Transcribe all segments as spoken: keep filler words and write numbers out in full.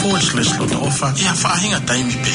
Ko e Siasi Lotu ʻOfa, ʻi ha faʻahinga taimi pē.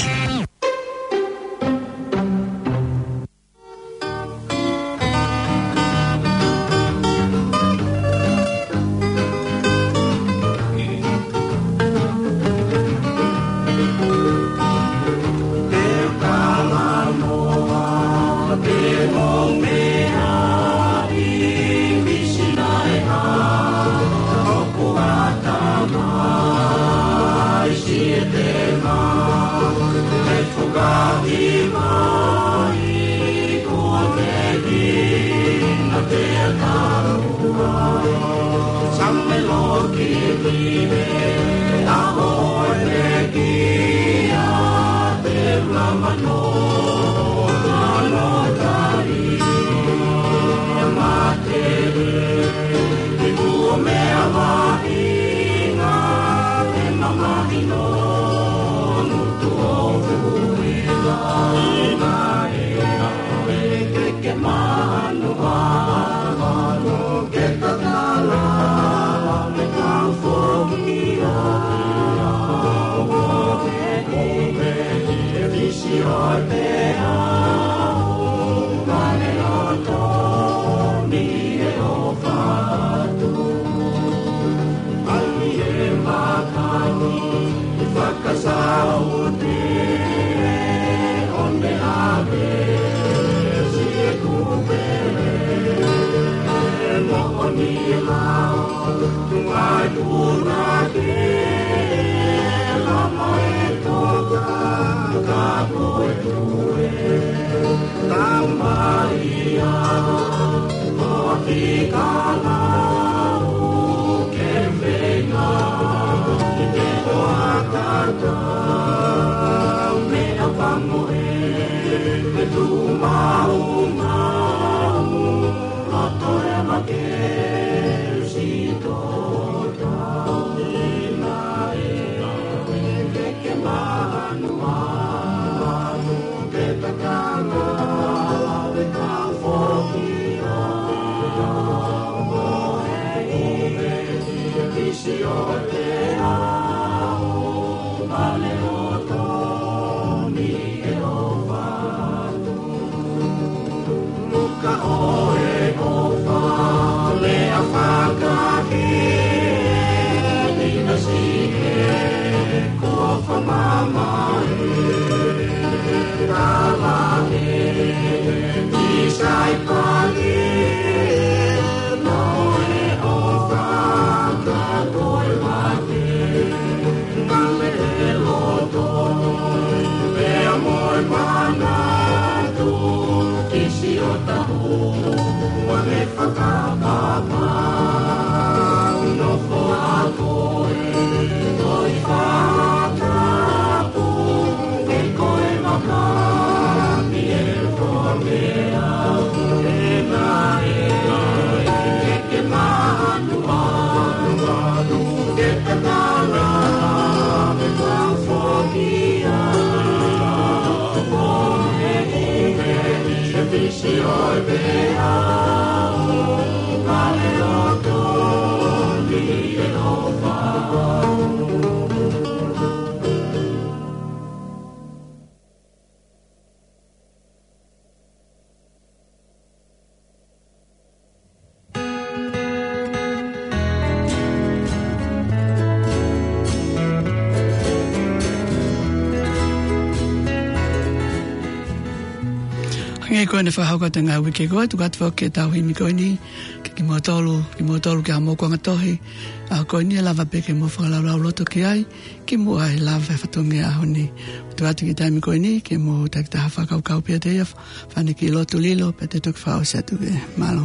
Hangē ko ʻene fakahoko atu he ngaahi uike kuo ʻosi, tuku atu foki ʻetau himi ko eni, ke kimoutolu, kimoutolu ki he moʻunga tohi, ʻa ko eni ʻe lava pē ke mou fakalaulauloto ki ai, kimuʻa he lava e fatongia ʻaho ni. Tuku atu ki he taimi ko eni, ke mou takitaha fakakaukau pē ʻiate ia, fānau ki he lotu lilo, pea te u toki fakaʻosi atu pē. Mālō.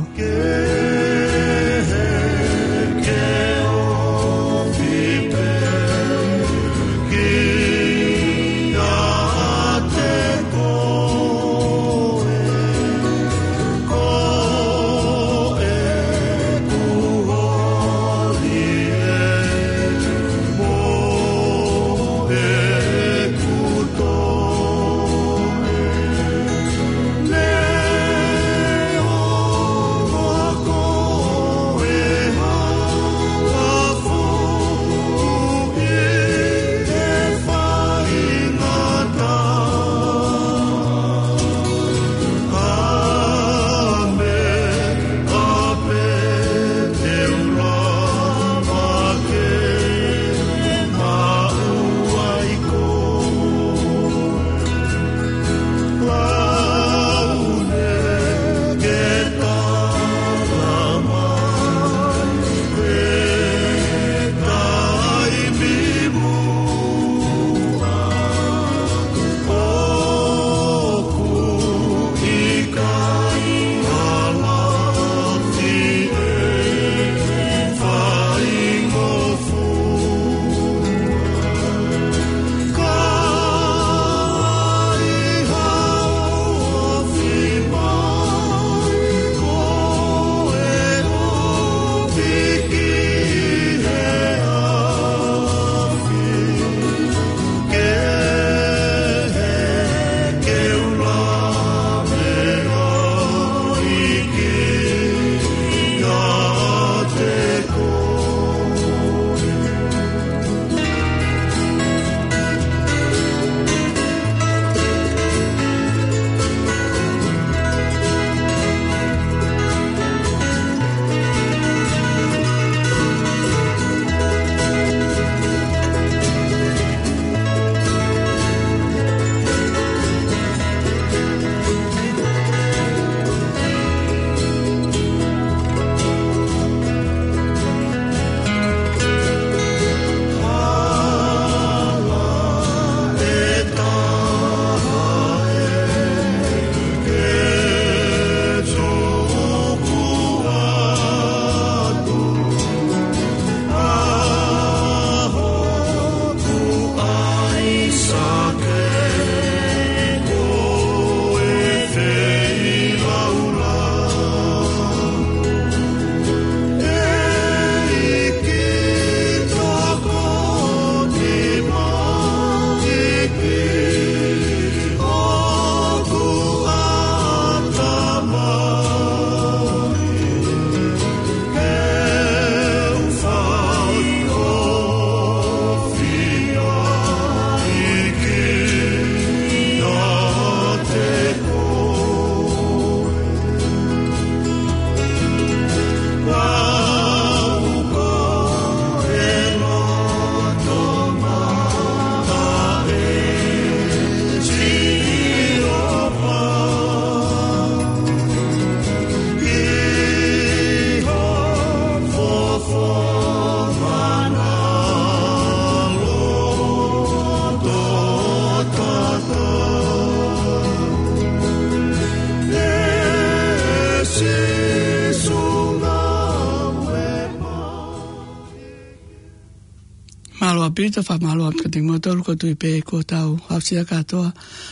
Tui atu fakamālō atu kiate kimoutolu, ʻoku ou tui pē kuo tau aʻusia kātoa,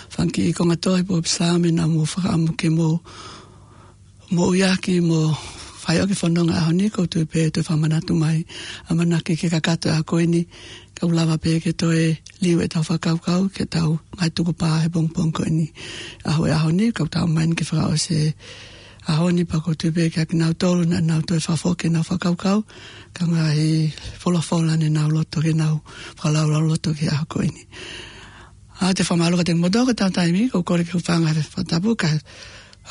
fanga kiʻi konga tohi pe ko e Psalm naʻa mou fakaʻamu ke mou, mou ʻuhiʻuhi mo fai ʻaki e fononga ʻaho ni. ʻOku ou tui pē toe fakamanatu mai ʻa e ʻamanaki ke kakato ʻa e ʻaho ko eni, kae lava pē ke toe liliu ʻetau fakakaukau ki heʻetau ngaahi tukupā he pongipongi ko eni. ʻAho, ʻaho ni, ka tau ʻomai ke fakaʻosi e ʻaho ni, pea ʻoku ou tui pē kiate kinautolu naʻa nau toe fakafoki ʻenau fakakaukau ki he ngaahi folofola ne nau loto ke nau fakalaulauloto ki he ʻaho ko eni. ʻOatu e fakamālō kiate kimoutolu ki heʻetau taimi, ʻoku ou kole ke u hūfanga he fakatapu, kae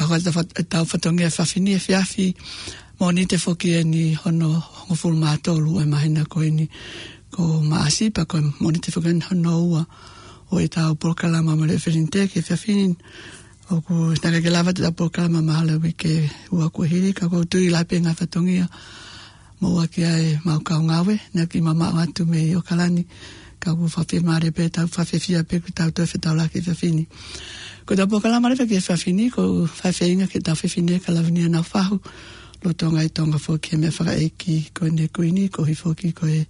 ʻoatu ʻetau fa-, ʻetau fatongia he efiafi ni, efiafi Mōnite foki eni hono hongofulu mā tolu ʻo e māhina ko eni ko Maʻasi, pea ko e Mōnite foki eni hono ua ʻo ʻetau polokalama Mōnite Felinte ki he efiafi ni. ʻOku ʻikai ke lava ʻetau polokalama mahalo he uike ʻe ua kuo hili, ka ʻoku ou tui ʻe lahi pē ngaahi fatongia mo ua ki ai ʻemau kau ngāue, naʻa ku mamaʻo atu mei ʻAokalani, ka ʻoku fakafiemālie pē, tau fakafiefia pē kuo tau toe fetaulaki he efiafi ni. Ko ʻetau polokalama leva ki he efiafi ni, ʻoku fai feinga ke tau fefine kia Lavinia Naufahu, lolotonga ʻi Tonga foki he meʻa fakaʻeiki ko eni ʻa e Kuini, koeʻuhi foki ko e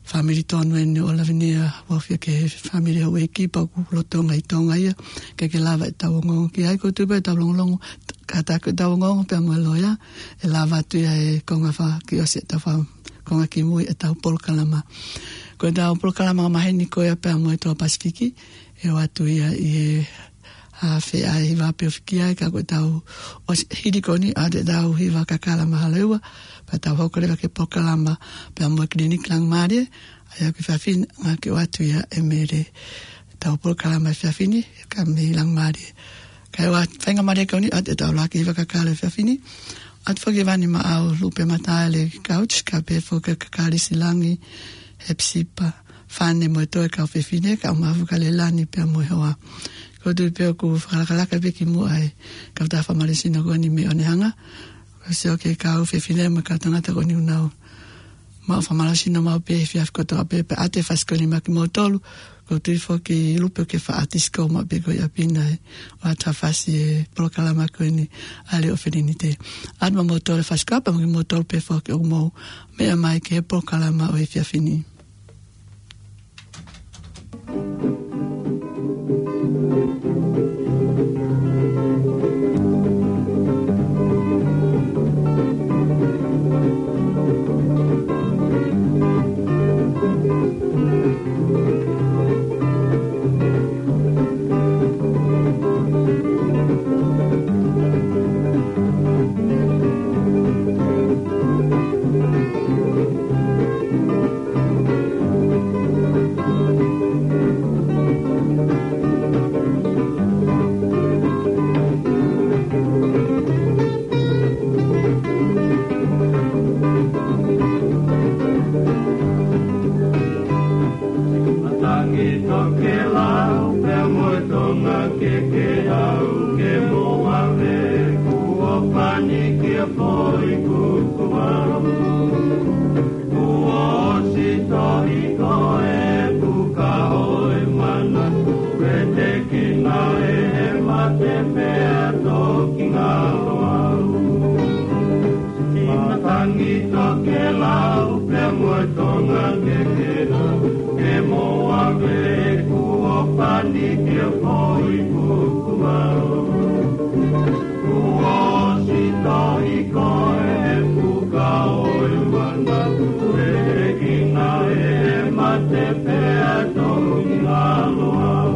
fāmili tonu eni ʻo Lavinia, ʻoku ʻafio ki he fāmili houʻeiki, pea ʻoku lolotonga ʻi Tonga ia, ʻikai ke lava ʻetau ongoongo ki ai. ʻOku ou tui pē ʻetau longolongo, kātaki ʻetau ongoongo pea mo e loea, ʻe lava atu ia he konga fakaʻosi ʻetau fa-, konga kimui ʻetau polokalama. Ko ʻetau polokalama ʻo e māhina ko ia pea mo e Toa Pasifiki, ʻe ʻoatu ia ʻi he, ʻa, feʻauhi hiva pē ʻo fiki ai, ka ko ʻetau ʻosi hili ko eni, ʻoatu ʻetau hiva kakala mahalo ʻe ua, pea tau hoko leva ki he polokalama pea mo e Kiliniki Langimālie, ʻa ia ko e efiafi ni, naʻa ke ʻoatu ia ʻe Mele. ʻEtau polokalama efiafi ni, ka mei Langimālie. Kae ʻoua, faingamālie ko eni, ʻoatu ʻetau ʻuluaki hiva kakala efiafi ni. ʻOatu foki Vani Maʻau, Lupe Mataele Couch, kae pehē foki kia Kalisi Langi, Hepisipa Fane mo e toe kau fefine, kau Mafuka Lelani pea mo e hoa. ʻOku ou tui pē ʻoku fakalakalaka pē ki muʻa e kau tā fakamalosino ko eni mei ʻOnehunga. ʻOku ou sio ki he kau fefine mo e kau tangata ko eni ʻoku nau maʻu fakamalosino maʻu pē he efiafi kotoa pē, pea ʻoatu e fasi ko eni maʻa kimoutolu. ʻOku ou tui foki Lupe ʻoku ke faʻa ʻati siko maʻu pē ko ia ʻi ʻapi na ē, ʻoatu ha fasi he polokalama ko eni ʻa e Leʻo Felinite. ʻOatu maʻa moutolu e fasi ko ia pea mo kimoutolu pē foki ʻoku mou meʻa mai ki he polokalama ʻo e efiafi ni. Matangi tokelau pea mo e tonga kekeʻau ke mou ʻave, kuo pani ki he foʻi kuku malu. Kuo ʻosi tohi ko e puka ʻo e manatu, vetekina ʻe he mate pea toki ngalo au. Matangi tokelau pea mo e tonga kekeʻau ke mou ʻave, kuo pani ki he foʻi kuku malu. Kuo ʻosi tohi ko e puka ʻo e manatu, vetekina ʻe he mate pea toki ngalo au.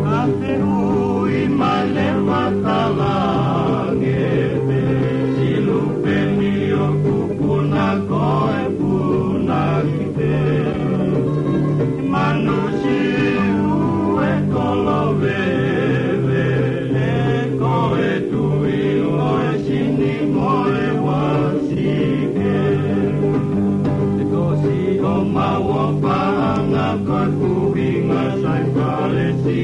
Ka fehuʻi mai leva Talange pē, Silupeni ʻoku puna ko e punake pē. Manu Siu e kolo veve, ko e tui ʻo e sini mo e uasike. Ko Siʻomau ʻo Paʻanga ko e kuinga Saipalesi,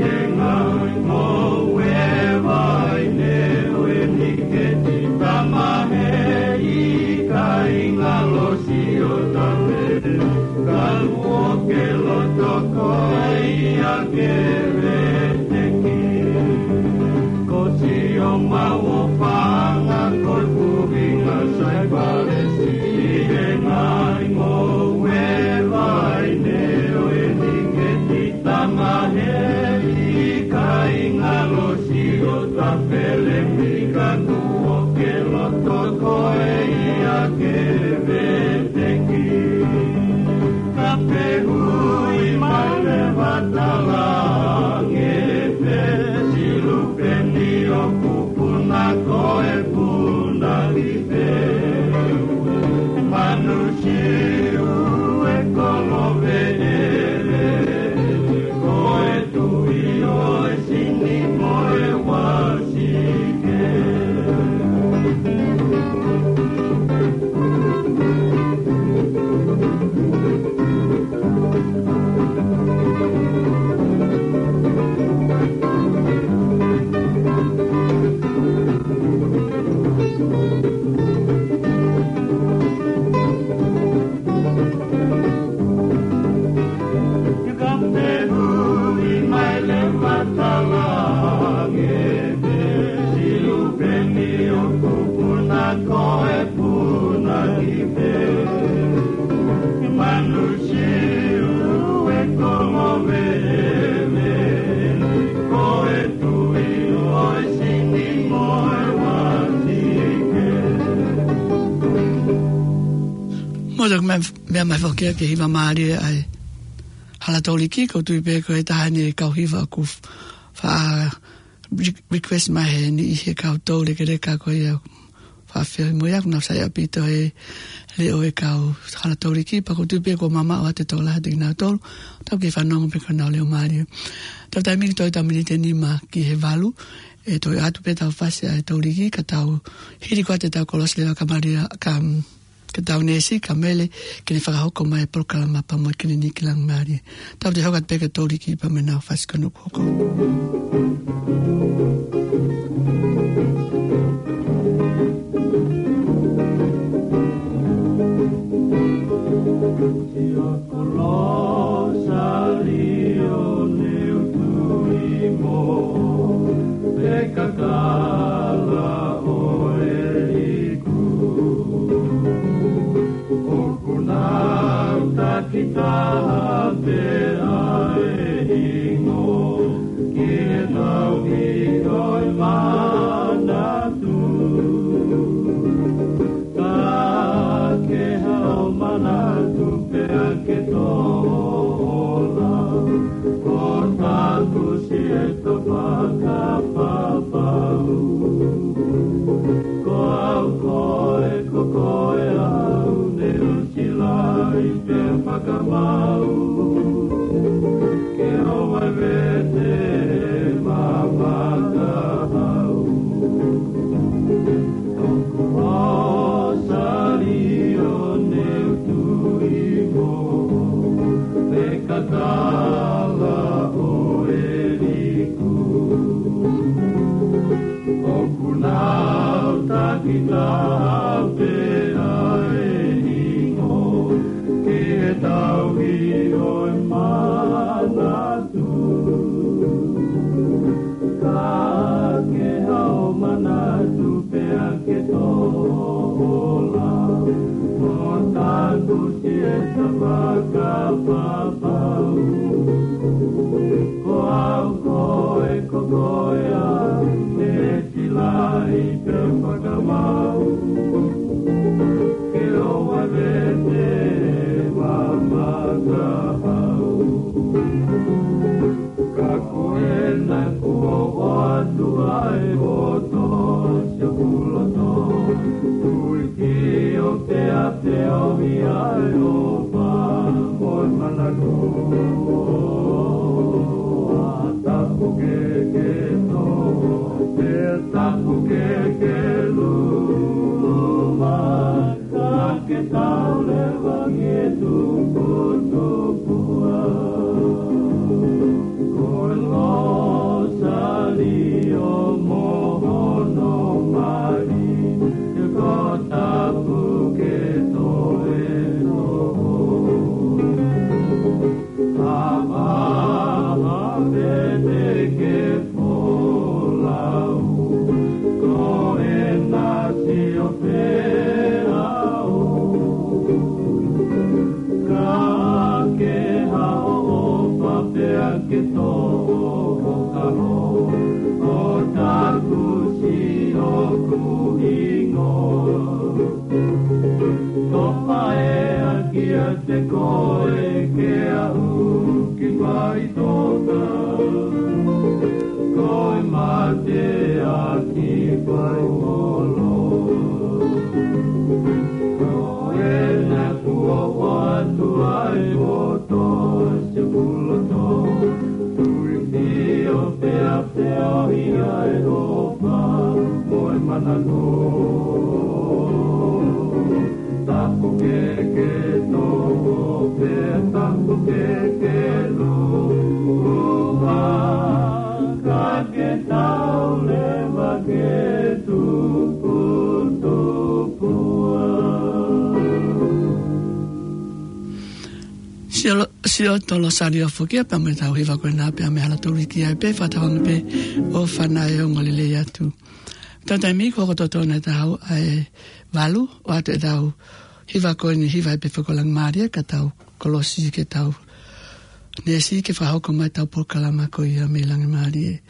he ngaahi ngoue vaine ʻo e niketi, tama he ika ʻi ngalo Siotave, ka luo ke loto ko ia ke veteki. Ko Siʻomau ʻo Paʻanga ko e kuinga Saipalesi, he ngaahi Pehē mai leva talaange pē, Silupeni ʻoku puna ko e puna ki pē. Manusiu e koloveʻele, ko e tuʻi ʻo e sini mo e uasi ke. Pehē mai leva talaange pē, Silupeni ʻoku puna ko e puna ki pē. Manusiu e koloveʻele, ko e tuʻi ʻo e sini mo e uasi ke. Mo taku meʻa, meʻa mai foki ki he hiva mālie ʻa e Hala Toliki, ʻoku ou tui pē ko e taha eni e kau hiva ʻoku faʻa re-, request mai he niʻihi he kau toulekeleka ko ia faʻa feohi mo ia, ʻoku nau saiʻia ʻaupito he leʻo e kau Hala Toliki, pea ʻoku ou tui pē kuo mamaʻo atu e tokolahi ʻiate kinautolu, tau kiʻi fanongo pē ki honau leʻo mālie. Tau taimi ki toe tau miniti ʻe nima ki he valu, ʻe toe ʻoatu pē ʻetau fasi ʻa e Toliki, ka tau hili ko ē ʻetau kolosi leva ka Malia, ka, mm, ka tau neesi, ka Mele, ke ne fakahoko mai e polokalama pea mo e kiliniki Langimālie. Tau toe hoko atu pē ki he Toliki pea mo ʻenau fasi ko ē ʻoku hoko. Ko Losalio ne u tui mo, pe kakala ʻo e iku. ʻOku nau takitaha pē ʻa e hingoa ki he tauhi ʻo e manatu. Ka ke hao manatu pea ke tola, ko taku siʻeto fakapapau. Ko au koe, ko koe au, ne u silaʻi pea fakamau. Ke ʻoua ʻe vete mamaʻo au. Ko Losalio ne u tui mo, pe kakala ʻo e iku. ʻOku nau takitaha pē ʻa e hingoa ki he tauhi ʻo e manatu. Ka ke hao manatu pea ke tola, ko taku siʻeto fakapapau. Ko au koe, ko koe au, ne u silaʻi pea fakamau. Ke ʻoua ʻe vete mamaʻo au. Ka ko ena kuo ʻoatu ai ʻo tō siʻoku loto. Tui ki o te a te o mi ai o pa mo e manako. A tapu ke ke tō, te tapu ke ke luma. Ka ke tau leva ki he tukutukua. Ko Losalio mo hono mali, ko tapu ke toe noho. Ka maha pete ke folau, ko ena sio pē au. Ka ke ha Te koe ke aʻu ki faʻitoka, ko e mate ʻaki faingolo. Ko ena kuo ʻoatu ai poto se puloto, tui fio pea pea o ia e opa mo e manano. Tapu ke ke tō pe tapu ke ke lua, ka ke tau leva ke tupu tupua. Sio, sio tolo sari o fukia pea mo e tau hiva ko ena pea mo e hala tolu ki ai pē, fakatauange pē ʻofa na e ongo lelei atu. Tau taimi ko hoko totonu e tau ʻa e valu, ʻoatu e tau hiva ko eni hiva ai pē foki ko Langimālie, ka tau kolosi ke tau neesi ke fakahoko mai e tau polokalama ko ia mei Langimālie.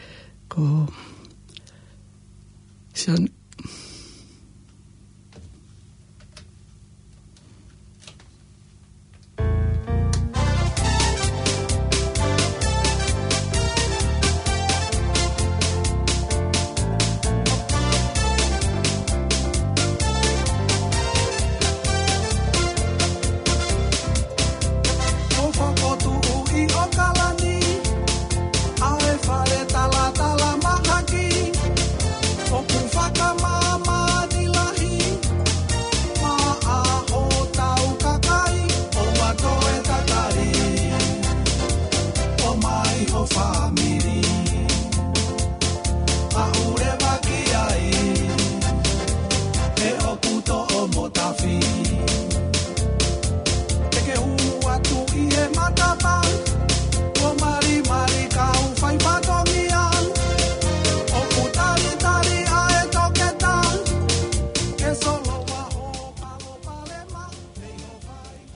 Ko Sione. ʻO fokotuʻu ʻi ʻAokalani ʻa e fale talatala mahaki, ʻoku fakamāmani lahi maʻa hotau kakai. ʻOua toe tatali, ʻomai ho fāmili, aʻu leva ki ai, he ʻoku toʻo mo tafi. Te ke hū atu ʻi he matapā, ʻo malimali kau fai fatongia, ʻoku talitali ʻa e toketā ke soloa ho palopalema.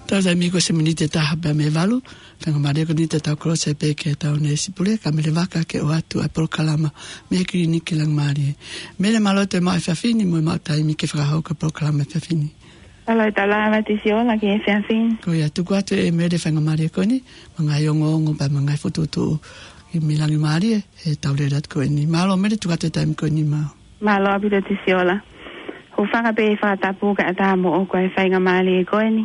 Tau taimi ko e miniti ʻe taha pea mei he valu, faingamālie ko eni te tau kolosi pē ke tau neesi pule, ka Mele Vaka ke ʻoatu ʻa e polokalama mei he kiliniki Langimālie. Mele, mālō e maʻu efiafi ni mo e maʻu taimi ke fakahoko e polokalama efiafi ni. Mālō e tau lava Tisiola ki he efiafi ni. Ko ia, tuku atu ʻe Mele e faingamālie ko eni, mo e ngaahi ongoongo pea mo e ngaahi fokotuʻutuʻu mei Langimālie he tau lele atu ko eni. Mālō Mele, tuku atu e taimi ko eni maʻau. Mālō ʻaupito Tisiola. Hūfanga pē he fakatapu kae ʻatā moʻoku ʻa e faingamālie ko eni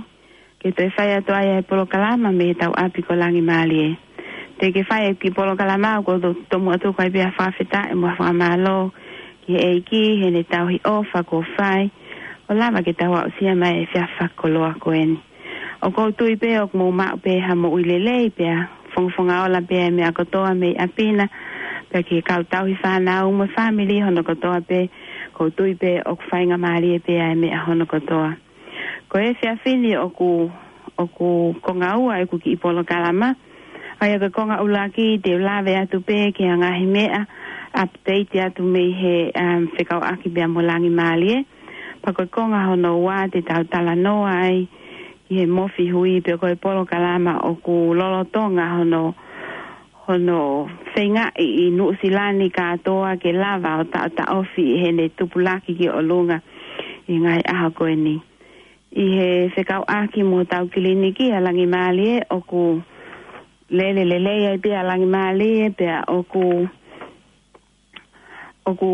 ke toe fai atu ai ʻa e polokalama mei he tau ʻapi ko Langimālie. Te ke fai e kiʻi polokalama ʻoku ou to-, tomuʻa tuku ai pē ʻa e fakafetaʻi mo e fakamālō ki he ʻEiki heʻene tauhi ʻofa kuo fai ʻo lava ke tau aʻusia mai e efiafi fakakoloa ko eni. ʻOku ou tui pē ʻoku mou maʻu pē ha moʻui lelei pea fongafonga ola pē ʻa e meʻa kotoa mei ʻapi na, pea ki he kau tauhi fānau mo e fāmili hono kotoa pē, ʻoku ou tui pē ʻoku faingamālie pē ʻa e meʻa hono kotoa. Ko e efiafi ni ʻoku, ʻoku konga ua ʻeku kiʻi polokalama. ʻA ia ko e konga ʻuluaki te u lave atu pē ki he ngaahi meʻa, update atu mei he, um, fekauʻaki pea mo Langimālie. Pea ko e konga hono ua te tau talanoa ai ki he Mofi Hui, pea ko e polokalama ʻoku lolotonga hono, hono feingaʻi ʻi Nuʻusila ni kātoa ke lava ʻo taʻotaʻofi heʻene tupulaki ki ʻolunga ʻi he ngaahi ʻaho ko eni. ʻI he fekauʻaki mo hotau kiliniki ʻa Langimālie, ʻoku lele lelei ai pē ʻa Langimālie, pea ʻoku, ʻoku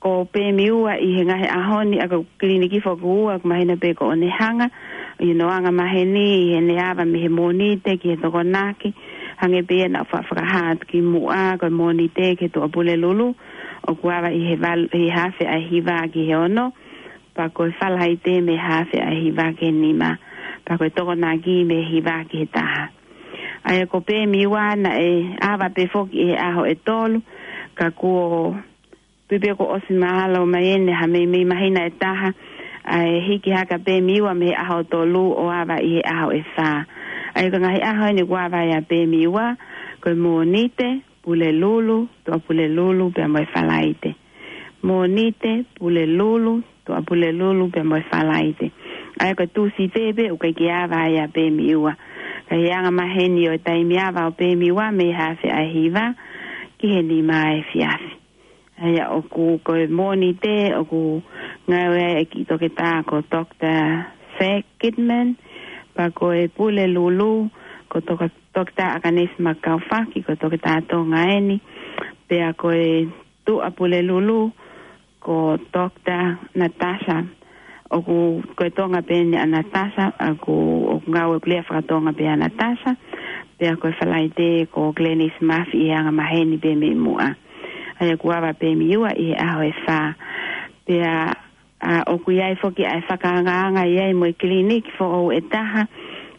ko Pēmiua ʻi he ngaahi ʻaho ni, ʻa ko e kiliniki foki ua, ʻoku mahino pē ko ʻene hanga ʻi hono anga maheni, ʻi heʻene ava mei he Mōnite ki he Tokonaki, hangē pē ia naʻa ku fa-, fakahā atu kimuʻa, ko e Mōnite ki he Tuʻapulelulu, ʻoku ava ʻi he val-, ʻi he afe ʻa e hiva ki he ono, pea ko e Falaite mei he afe ʻa e hiva ki he nima, pea ko e Tokonaki mei he hiva ki he taha. ʻA ia ko Pēmiua naʻe ava pē foki ʻi he ʻaho ʻe tolu, ka kuo tui pē kuo ʻosi mahalo mai eni ha meimei māhina ʻe taha, ʻa e hiki hake ʻa Pēmiua mei he ʻaho tolu ʻo ava ʻi he ʻaho ʻe fā. ʻA ia ko e ngaahi ʻaho eni kuo ava ai ʻa Pēmiua, ko e Mōnite, Pulelulu, Tuʻapulelulu, pea mo e Falaite. Mōnite, Pulelulu, Tuʻapulelulu, pea mo e Falaite. ʻA ia ko e Tūsite pē ʻoku ʻikai ke ava ai ʻa Pēmiua. Ka ʻi he anga maheni ʻo e taimi ava ʻo Pēmiua mei he afe ʻa e hiva ki he nima ʻa e efiafi. ʻA ia ʻoku ko e Mōnite, ʻoku ngāue ai e kiʻi toketā ko Doctor Zack Kidman, Pea ko e Pulelulu, ko Toka-, Toketā ʻAkanesi Makaufaki, ko e Toketā Tonga eni. Pea ko e Tuʻapulelulu, ko Toketā Natasa. ʻOku, ko e Tonga pē eni ʻa Natasa, ʻoku, ʻoku ngāue ʻoku lea fakatonga pē ʻa Natasa. Pea ko e Falaite, ko Glenys Mafi ʻi he anga maheni pē mei muʻa. ʻA ia kuo ava pē mei ua ʻi he ʻaho ʻe fā. Pea, ʻa, ʻoku ʻi ai foki ʻa e fakaangaanga ʻi ai mo e kiliniki foʻou ʻe taha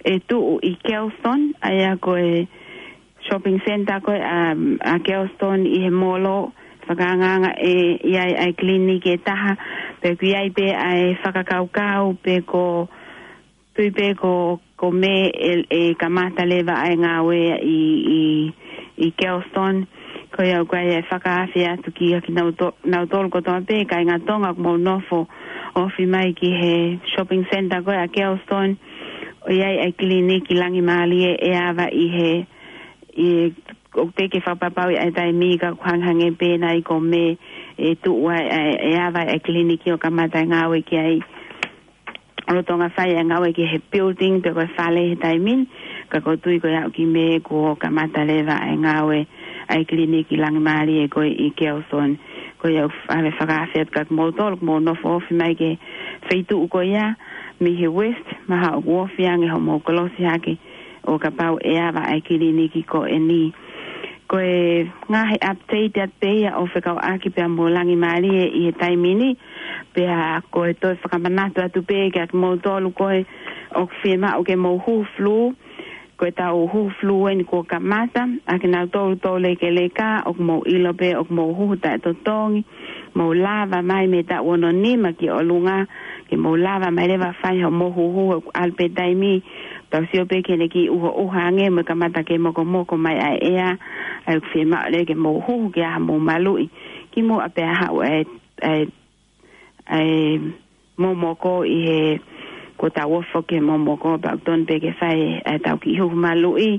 ʻe tuʻu ʻi Kelston, ʻa ia ko e shopping centre ko ē ʻa, ʻa Kelston ʻi he molo, fakaangaanga ʻe ʻi ai ʻa e kiliniki ʻe taha, pea ʻoku ʻi ai pē ʻa e fakakaukau, pe ko, tui pē ko, ko Mē ʻe, ʻe kamata leva ʻa e ngāue ʻi, ʻi, ʻi Kelston. Ko ia ʻoku ʻi ai e fakaafe atu kiate kinautolu, nautolu kotoa pē, kāinga Tonga ʻoku mou nofo ofi mai ki he shopping centre ko ē ʻa Kelston. ʻOku ʻi ai ʻa e kiliniki Langimālie ʻe ava ʻi he, ʻi, ʻoku teʻeki fakapapauʻi ʻa e taimi ka ʻoku hangehangē pē nai ko Mē ʻe tuʻu ai, ʻe, ʻe ava ʻa e kiliniki ʻo kamata e ngāue ki ai. ʻOku lolotonga fai e ngāue ki he building pe ko e fale he taimi ni, ka ʻoku ou tui ko ia ʻoku ʻi Mē kuo kamata leva e ngāue ʻa e kiliniki Langimālie ko ē ʻi Kelston. Ko ia ʻoku ʻave fakaafe atu kiate kimoutolu ʻoku mou nofo ofi mai ki he feituʻu ko ia mei he West, mahalo ʻoku ofi ange hoʻomou kolosi hake ʻo kapau ʻe ava ʻa e kiliniki ko eni. Ko e ngaahi update atu pē ia ʻo fekauʻaki pea mo Langimālie ʻi he taimi ni, pea ko e toe fakamanatu atu pē kiate kimoutolu ko ē ʻoku fiemaʻu ke mou hū flu, ko ʻetau hū flu eni kuo kamata, ʻa kinautolu toulekeleka, ʻoku mou ʻilo pē ʻoku mou huhu taʻetotongi, mou lava mai mei he taʻu ono nima ki ʻolunga, ke mou lava mai leva fai hoʻomou huhu, ʻoku ʻalu pē taimi, tau sio pē ki heʻene kiʻi ʻuhoʻuha ange mo e kamata ke mokomoko mai ʻa e ʻea, ʻa ia ʻoku fiemaʻu leva ke mou huhu ke ʻai haʻamou maluʻi kimuʻa pea haʻu ʻa e, ʻa e, ʻa e momoko ʻi he, kuo tau ofi ki he momoko, pea ʻoku totonu pē ke fai ʻa ʻetau kiʻi huhu maluʻi,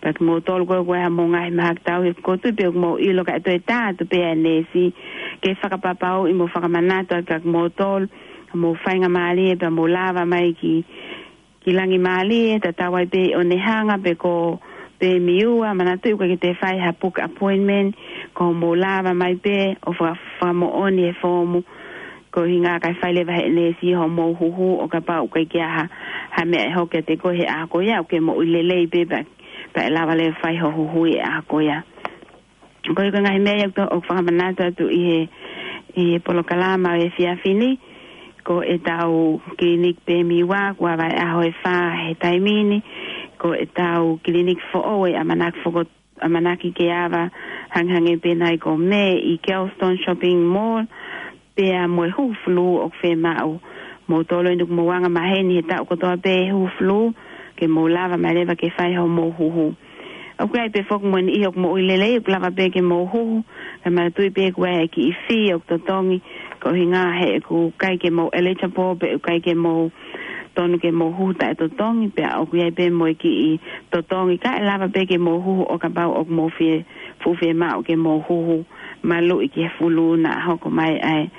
pea kimoutolu ko ē ʻoku ʻi ai haʻamou ngaahi mahaki tauhi, ʻoku ou tui pē ʻoku mou ʻilo ka ʻe toe tā atu pē ʻa e neesi, ke fakapapauʻi mo fakamanatu atu kiate kimoutolu, mou faingamālie pea mou lava mai ki, ki Langimālie, tatau ai pē ʻi ʻOnehunga pe ko Pemiua, manatuʻi ʻoku ʻikai ke toe fai ha book appointment, ko hoʻomou lava mai pē ʻo faka-, fakamoʻoni e foomu, ko e ʻuhinga kae fai leva ʻe he neesi hoʻomou huhu ʻo kapau ʻoku ʻikai ke ʻi ai ha, ha meʻa ʻe hoko kiate koe he ʻaho ko ia, ʻoku ke moʻui lelei pē pea, pea ʻe lava leva fai hoʻo huhu ʻi he ʻaho ko ia. Ko ia ko e ngaahi meʻa ia ʻoku to-, ʻoku fakamanatu atu ʻi he, ʻi he polokalama ʻo e efiafi ni, ko ʻetau kiliniki Pemiua, kuo ava ʻi he ʻaho ʻe fā he taimi ni, ko ʻetau kiliniki foʻou ʻe ʻamanaki foko-, ʻamanaki ke ava hangehangē pē nai ko Mē ʻi Kelston Shopping Mall, pea mo e huhu flu ʻoku fiemaʻu. Moutolu eni ʻoku mou anga maheni he taʻu kotoa pē huhu flu, ke mou lava mai leva ke fai hoʻomou huhu. ʻOku ʻi ai pē foki mo e niʻihi ʻoku moʻui lelei, ʻoku lava pē ke mou huhu, kae manatuʻi pē ʻoku ʻi ai e kiʻi fee ʻoku totongi, ko e ʻuhinga he ʻoku ʻikai ke mou eligible, pe ʻoku ʻikai ke mou tonu ke mou huhu taʻetotongi, pea ʻoku ʻi ai pē mo e kiʻi totongi, kae lava pē ke mou huhu ʻo kapau ʻoku mou fie, fuʻu fiemaʻu ke mou huhu maluʻi ki he flu naʻa hoko mai ʻa e,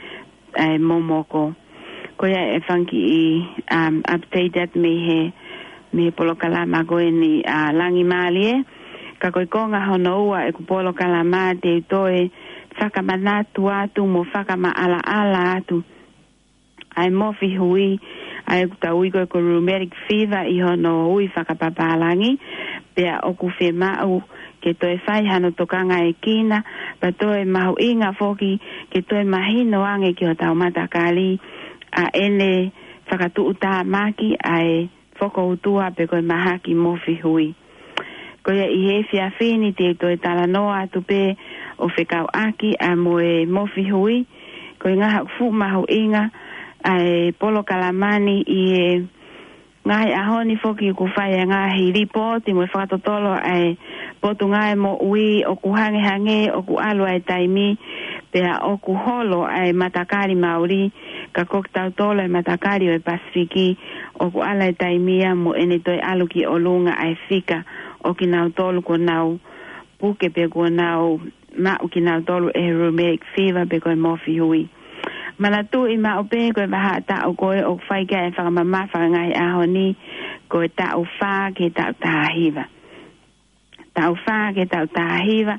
ʻa e momoko. Ko ia e fanga kiʻi, um, update atu mei he, mei he polokalama ko eni ʻa Langimālie. Ka ko e konga hono ua ʻeku polokalama te u toe fakamanatu atu mo fakamaʻalaʻala atu ʻa e mofi hui, ʻa ia ʻoku tau ui ko e ko e rheumatic fever ʻi hono ui fakapapālangi, pea ʻoku fiemaʻu ke toe fai hano tokangaekina, pea toe mahuʻinga foki ke toe mahino ange ki hotau matakali ʻa ʻene fakatuʻutāmaki ʻa e fokoutua pe ko e mahaki mofi hui. Ko ia ʻi he efiafi ni te u toe talanoa atu pē ʻo fekauʻaki ʻa mo e mofi hui, ko e ʻuhinga ʻoku fuʻu mahuʻinga ʻa e polokalama ni ʻi he ngaahi ʻaho ni foki ʻoku fai ʻa e ngaahi lipooti mo e fakatotolo ʻa e Potungāue Moʻui ʻoku hangehangē ʻoku ʻalu ʻa e taimi pea ʻoku holo ʻa e matakali Mauli, ka ko kitautolu ʻa e matakali ʻo e Pasifiki ʻoku ʻalu ʻa e taimi ia mo ʻene toe ʻalu ki ʻolunga ʻa e fika ʻo kinautolu kuo nau puke pe kuo nau maʻu kinautolu ʻe he rheumatic fever pe ko e mofi hui. Manatuʻi maʻu pē ko e vahaʻa taʻu ko ē ʻoku fai ki ai e fakamamafa ʻa e ngaahi ʻaho ni, ko e taʻu fā ki he taʻu taha hiva. Taʻu fā ki he taʻu taha hiva,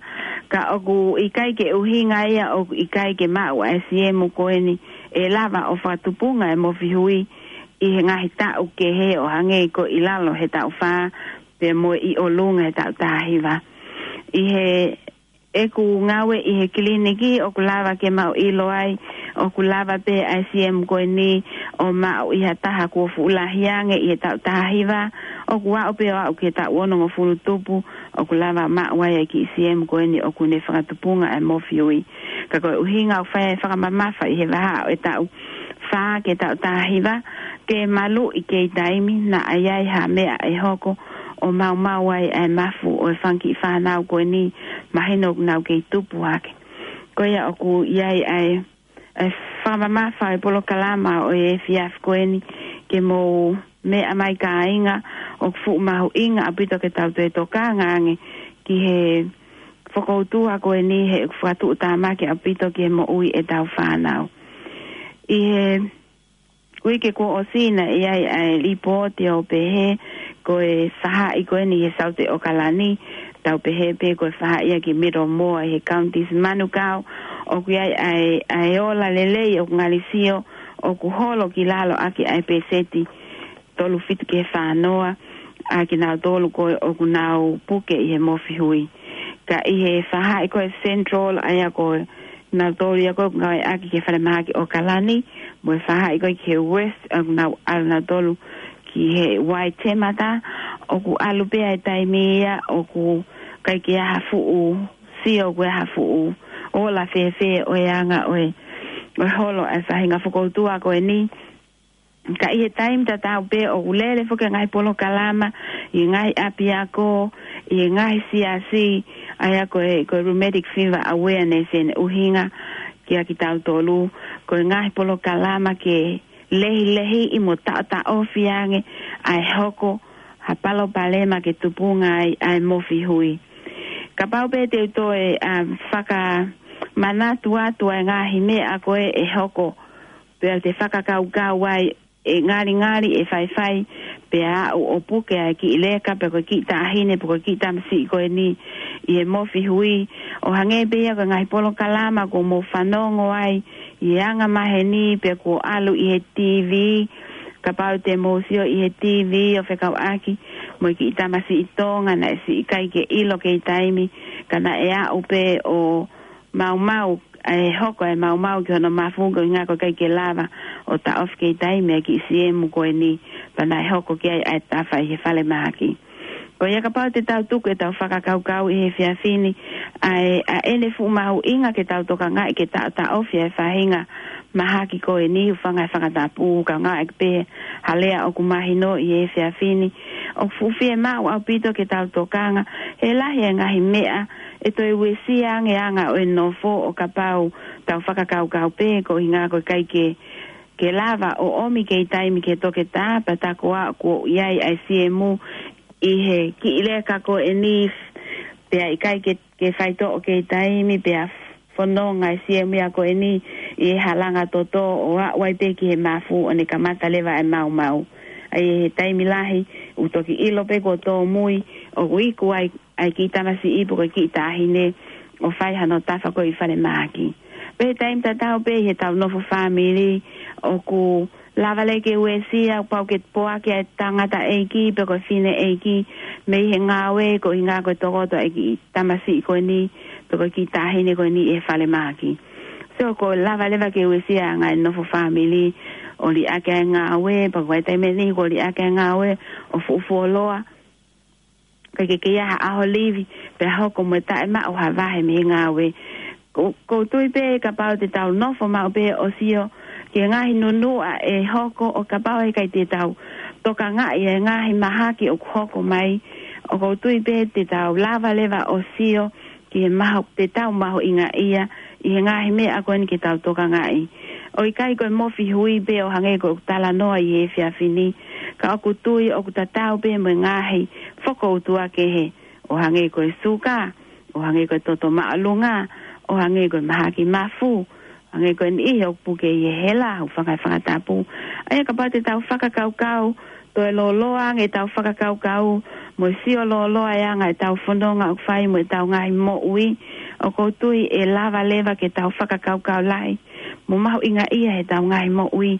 ka ʻoku ʻikai ke ʻuhinga ia ʻoku ʻikai ke maʻu ʻa e siemu ko eni ʻe lava ʻo fakatupunga e mofihui ʻi he ngaahi taʻu kehe ʻo hangē ko ʻi lalo he taʻu fā, pea mo ʻi ʻolunga he taʻu taha hiva. ʻI he ʻeku ngāue ʻi he kiliniki ʻoku lava ke mau ʻilo ai, ʻoku lava pē ʻa e siemu ko eni ʻo maʻu ʻi ha taha kuo fuʻu lahi ange ʻi he taʻu taha hiva, ʻoku aʻu pē ʻo aʻu ki he taʻu onongofulu tupu, ʻoku lava maʻu ai ʻa e kiʻi siemu ko eni ʻoku ne fakatupunga ʻa e mofihui. Ka ko e ʻuhinga ʻoku fai ai e fakamamafa ʻi he vahaʻa ʻo e taʻu fā ki he taʻu taha hiva, ke maluʻi kei taimi naʻa ʻi ai ha meʻa ʻe hoko ʻo maumau ai ʻa e mafu ʻo e fanga kiʻi fānau ko eni, mahino ʻoku nau kei tupu hake. Ko ia ʻoku ʻi ai ʻa e, ʻa e fakamamafa ʻo e polokalama ʻo e efiafi ko eni ke mou meʻa mai kāinga, ʻoku fuʻu mahuʻinga ʻaupito ke tau toe tokanga ange ki he fokoutua ko eni he ʻoku fakatuʻutāmaki ʻaupito ki he moʻui ʻetau fānau. ʻI he uike kuo ʻosi naʻe ʻi ai ʻa e lipooti ʻo pehē ko e fahaʻi ko eni he Saute ʻAokalani, tau pehē pē ko e fahaʻi ia ki Middlemore he Counties Manukau, ʻoku ʻi ai ʻa e, ʻa e ola lelei ʻoku ngali sio ʻoku holo ki lalo ʻaki ʻa e pēseti tolu fitu ki he fā noa ʻa kinautolu ko ē ʻoku nau puke ʻi he mofihui. Ka ʻi he fahaʻi ko e Central, ʻa ia ko kinautolu ia ko ē ʻoku ngāueʻaki ki he falemahaki ʻAokalani, mo e fahaʻi ko ē ki he West, ʻoku nau ʻalu nautolu ki he Waitematā, ʻoku ʻalu pē ʻa e taimi ia ʻoku ʻikai ke ʻi ai ha fuʻu sio, ʻoku ʻi ai ha fuʻu ola fēfē ʻo e anga ʻo e, ʻo e holo ʻa e faʻahinga fokoutua ko eni. Ka ʻi he taimi tatau pē ʻoku lele foki e ngaahi polokalama ʻi he ngaahi ʻapiako, ʻi he ngaahi siasi, ʻa ia ko e, ko e rheumatic fever awareness ʻene ʻuhinga kiate kitautolu, ko e ngaahi polokalama ke lehilehiʻi mo taʻotaʻofi ange ʻa e hoko ha palopalema ke tupunga ai ʻa e mofihui. Kapau pē te u toe, um, fakamanatu atu ʻa e ngaahi meʻa ko ē ʻe hoko, pea te fakakaukau ai ʻe ngalingali ʻe faifai, pea aʻu ʻo puke ʻa e kiʻi leka, pe ko e kiʻi taʻahine, pe ko e kiʻi tamasiʻi ko eni ʻi he mofihui, ʻo hangē pē ia ko e ngaahi polokalama kuo mou fanongo ai ʻi he anga maheni, pe kuo ʻalu ʻi he T V, kapau te mou sio ʻi he T V ʻo fekauʻaki mo e kiʻi tamasiʻi Tonga naʻe siʻi ʻikai ke ʻilo kei taimi, ka naʻe aʻu pē ʻo maumau, ʻe hoko e maumau ki hono mafu ko e ʻuhinga ko e ʻikai ke lava ʻo taʻofi kei taimi ʻa e kiʻi siemu ko eni, pea naʻe hoko ki ai ʻa e tafa ʻi he falemahaki. Ko ia kapau te tau tuku ʻetau fakakaukau ʻi he efiafi ni, ʻa e, ʻa ʻene fuʻu mahuʻinga ke tau tokangaʻi ke taʻotaʻofi ʻa e faʻahinga mahaki ko eni, hūfanga he fakatapu, kaungā ʻaki pē ha lea ʻoku mahino ʻi he efiafi ni, ʻoku fuʻu fiemaʻu ʻaupito ke tau tokanga, he lahi e ngaahi meʻa ʻe toe uesia ange anga ʻo e nofo ʻo kapau tau fakakaukau pē ko e ʻuhinga ko e ʻikai ke, ke lava ʻo ʻomi kei taimi ki he toketā, pea tā ko ā kuo ʻi ai ʻa e siemu ʻi he kiʻi leka ko eni, pea ʻikai ke, ke faitoʻo kei taimi, pea fononga e siemu ia ko eni ʻi he halanga toto ʻo aʻu ai pē ki he mafu ʻo ne kamata leva e maumau. ʻA ia he taimi lahi, ʻoku toki ʻilo pē kuo tōmui, ʻoku iku ai ʻa e kiʻi tamasiʻi pe ko e kiʻi taʻahine ʻo fai hano tafa ko ē ʻi falemahaki. Pea he taimi tatau pē ʻi heʻetau nofo fāmili, ʻoku lava leva ke uesia, pau ke poaki ʻa e tangataʻeiki pe ko e fineʻeiki mei he ngāue ko e ʻuhinga ko e tokoto ʻa e kiʻi tamasiʻi ko eni pe ko e kiʻi taʻahine ko eni ʻi he falemahaki. So ʻoku lava leva ke uesia ʻa e ngaahi nofo fāmili ʻo liʻaki ʻa e ngāue, pea ko e taimi ʻe niʻihi ʻoku liʻaki ʻa e ngāue ʻo fuʻu fuoloa, ʻikai ke kei ʻi ai ha ʻaho livi, pea hoko mo e taʻemaʻu ha vahe mei he ngāue. ʻOku, ʻoku ou tui pē kapau te tau nofo maʻu pē ʻo sio ki he ngaahi nunuʻa ʻe hoko ʻo kapau he ʻikai te tau tokangaʻi e ngaahi mahaki ʻoku hoko mai, ʻoku ou tui pē te tau lava leva ʻo sio ki he mahu, te tau mahuʻingaʻia ʻi he ngaahi meʻa ko eni ke tau tokangaʻi. ʻOku ʻikai ko e mofihui pē ʻo hangē ko ʻeku talanoa ʻi he efiafi ni, ka ʻoku ou tui ʻoku tatau pē mo e ngaahi fokoutua kehe, ʻo hangē ko e suka, ʻo hangē ko e toto māʻolunga, ʻo hangē ko e mahaki mafu, hangē ko e niʻihi ʻoku puke ʻi he hela, hūfanga he fakatapu. ʻA ia kapau te tau fakakaukau toe lōloa ange ʻetau fakakaukau, mo e sio lōloa e anga ʻetau fononga ʻoku fai mo ʻetau ngaahi moʻui, ʻoku ou tui ʻe lava leva ke tau fakakaukau lahi, mo mahuʻingaʻia ʻetau ngaahi moʻui,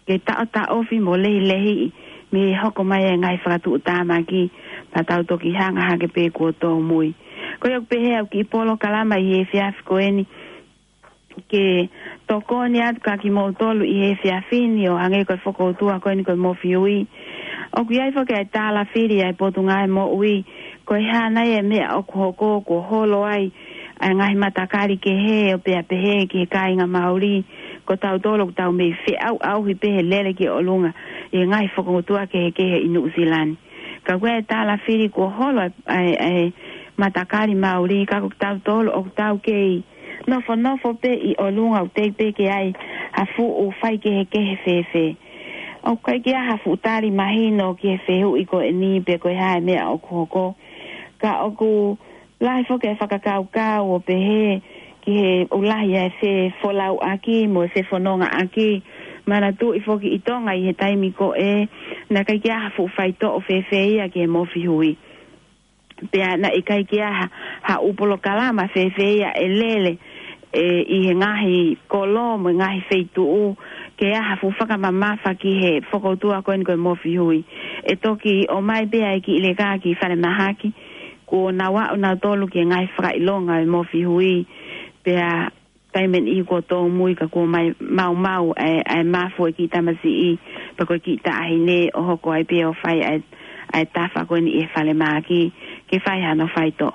ke taʻotaʻofi mo lehilehiʻi, mei he hoko mai e ngaahi fakatuʻutāmaki, pea tau toki hanga hake pē kuo tōmui. Ko ia ʻoku pehē ʻa e kiʻi polokalama ʻi he efiafi ko eni, ke tokoni atu kia kimoutolu ʻi he efiafi ni ʻo hangē ko e fokoutua ko eni ko e Mofi Hui. ʻOku ʻi ai foki ʻa e tālafili ʻa e Potungāue Moʻui, ko e hā nai e meʻa ʻoku hoko kuo holo ai ʻa e ngaahi matakali kehe ʻo pea pehē ki he kāinga Maoli, ko tautolu ʻoku tau mei feʻauʻauhi pē he lele ki ʻolunga ʻi he ngaahi fokoutua kehekehe ʻi Nuʻusila ni. Ka ko e tālafili kuo holo ʻa e, ʻa e, ʻa e matakali Maoli, ka ko tautolu ʻoku tau kei nofonofo pē ʻi ʻolunga ʻoku teʻeki pē ke ʻi ai ha fuʻu faikehekehe fēfē. ʻOku ʻikai ke ʻi ai ha fuʻu tali mahino ki he fehuʻi ko eni pe ko e hā e meʻa ʻoku hoko. Ka ʻoku lahi foki e fakakaukau ʻo pehē ki he ʻoku lahi e fefolauʻaki mo e fefonongaʻaki. Manatuʻi foki ʻi Tonga ʻi he taimi ko ē, naʻe ʻikai ke ʻi ai ha fuʻu faitoʻo fēfē ia ki he Mofi Hui. Pea naʻe ʻikai ke ʻi ai ha, ha ʻū polokalama fēfē ia ʻe lele, ē, ʻi he ngaahi kolo mo e ngaahi feituʻu, ke ʻi ai ha fuʻu fakamamafa ki he fokoutua ko eni ko e Mofi Hui. ʻE toki ʻomai pē ʻa e kiʻi leka ki falemahaki, kuo nau aʻu nautolu ki he ngaahi fakaʻilonga ʻo e Mofi Hui, pea taimi ʻe niʻihi kuo tōmui ka kuo mai maumau ʻa e, ʻa e mafu e kiʻi tamasiʻi, pe ko e kiʻi taʻahine ʻo hoko ai pē ʻo fai ʻa e, ʻa e tafa ko eni ʻi he falemahaki, ke fai hano faitoʻo.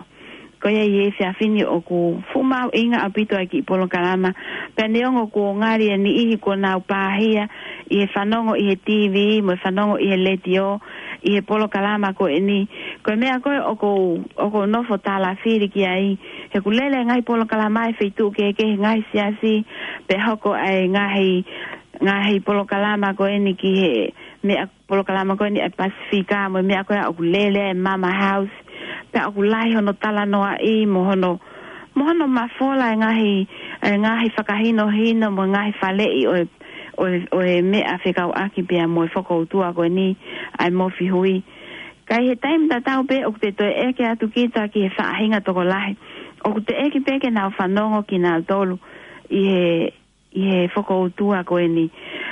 Ko ia ʻi he efiafi ni ʻoku fuʻu mahuʻinga ʻaupito ʻa e kiʻi polokalama, pea neongo kuo ngali ʻe niʻihi kuo nau pāhia ʻi he fanongo ʻi he T V, mo e fanongo ʻi he letiō, ʻi he polokalama ko eni. Ko e meʻa ko ē ʻoku ou, ʻoku ou nofo tālafili ki ai, he ʻoku lele ngaahi polokalama ʻi he feituʻu kehekehe, ngaahi siasi, pea hoko ʻa e ngaahi, ngaahi polokalama ko eni ki he meʻa polokalama ko eni ʻa e Pasifika, mo e meʻa ko ē ʻoku lele e Mama House, pea ʻoku lahi hono talanoaʻi, mo hono, mo hono mafola e ngaahi, e ngaahi fakahinohino, mo e ngaahi faleʻi ʻo e, ʻo e, ʻo e meʻa fekauʻaki pea mo e fokoutua ko eni ʻa e Mofi Hui. Ka ʻi he taimi tatau pē ʻoku te toe ʻeke atu kita ki he faʻahinga tokolahi, ʻoku teʻeki pē ke nau fanongo kinautolu ʻi he, ʻi he fokoutua ko eni.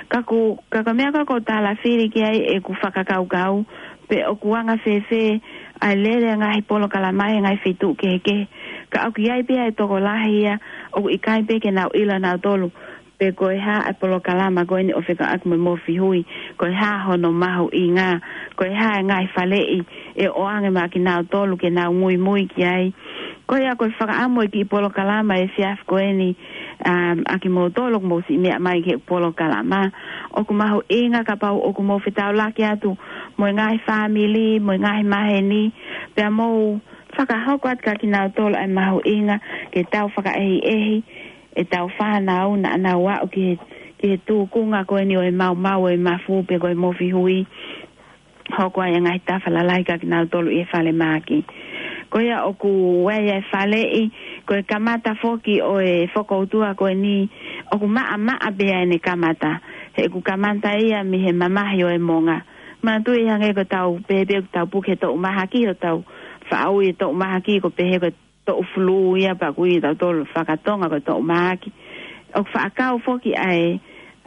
Ka ko, ka ko e meʻa ko ē ʻoku ou tālafili ki ai ʻeku fakakaukau, pe ʻoku anga fēfē ʻa e lele e ngaahi polokalama ʻi he ngaahi feituʻu kehekehe. Ka ʻoku ʻi ai pē ʻa e tokolahi ia ʻoku ʻikai pē ke nau ʻilo nautolu pe ko e hā ʻa e polokalama ko eni ʻo fekauʻaki mo e Mofi Hui, ko e hā hono mahuʻinga, ko e hā e ngaahi faleʻi ʻe ʻoange maʻa kinautolu ke nau muimui ki ai. Ko ia ko e fakaʻamu e kiʻi polokalama ʻi he efiafi ko eni, um, ʻa kimoutolu ʻoku mou siʻi meʻa mai ki he polokalama. ʻOku mahuʻinga kapau ʻoku mou fetaulaki atu mo e ngaahi fāmili, mo e ngaahi maheni, pea mou fakahoko atu kia kinautolu ʻa e mahuʻinga ke tau fakaʻehiʻehi ʻetau fānau naʻa nau aʻu ki he, ki he tūkunga ko eni ʻo e maumau ʻo e mafu pe ko e Mofi Hui, hoko ai e ngaahi tafa lalahi kia kinautolu ʻi he falemahaki. Ko ia ʻoku ʻi ai e faleʻi, ko e kamata foki ʻo e fokoutua ko eni, ʻoku maʻamaʻa pē ʻene kamata. He ʻoku kamata ia mei he mamahi ʻo e monga. Manatuʻi hangē ko ʻetau pehē pē ʻoku tau puke he toʻu mahaki, ʻo tau faʻa ui e toʻu mahaki ko e pehē ko e toʻu fulū ia pea ʻoku ui ʻe tautolu fakatonga ko e toʻu mahaki. ʻOku faʻa kau foki ʻa e,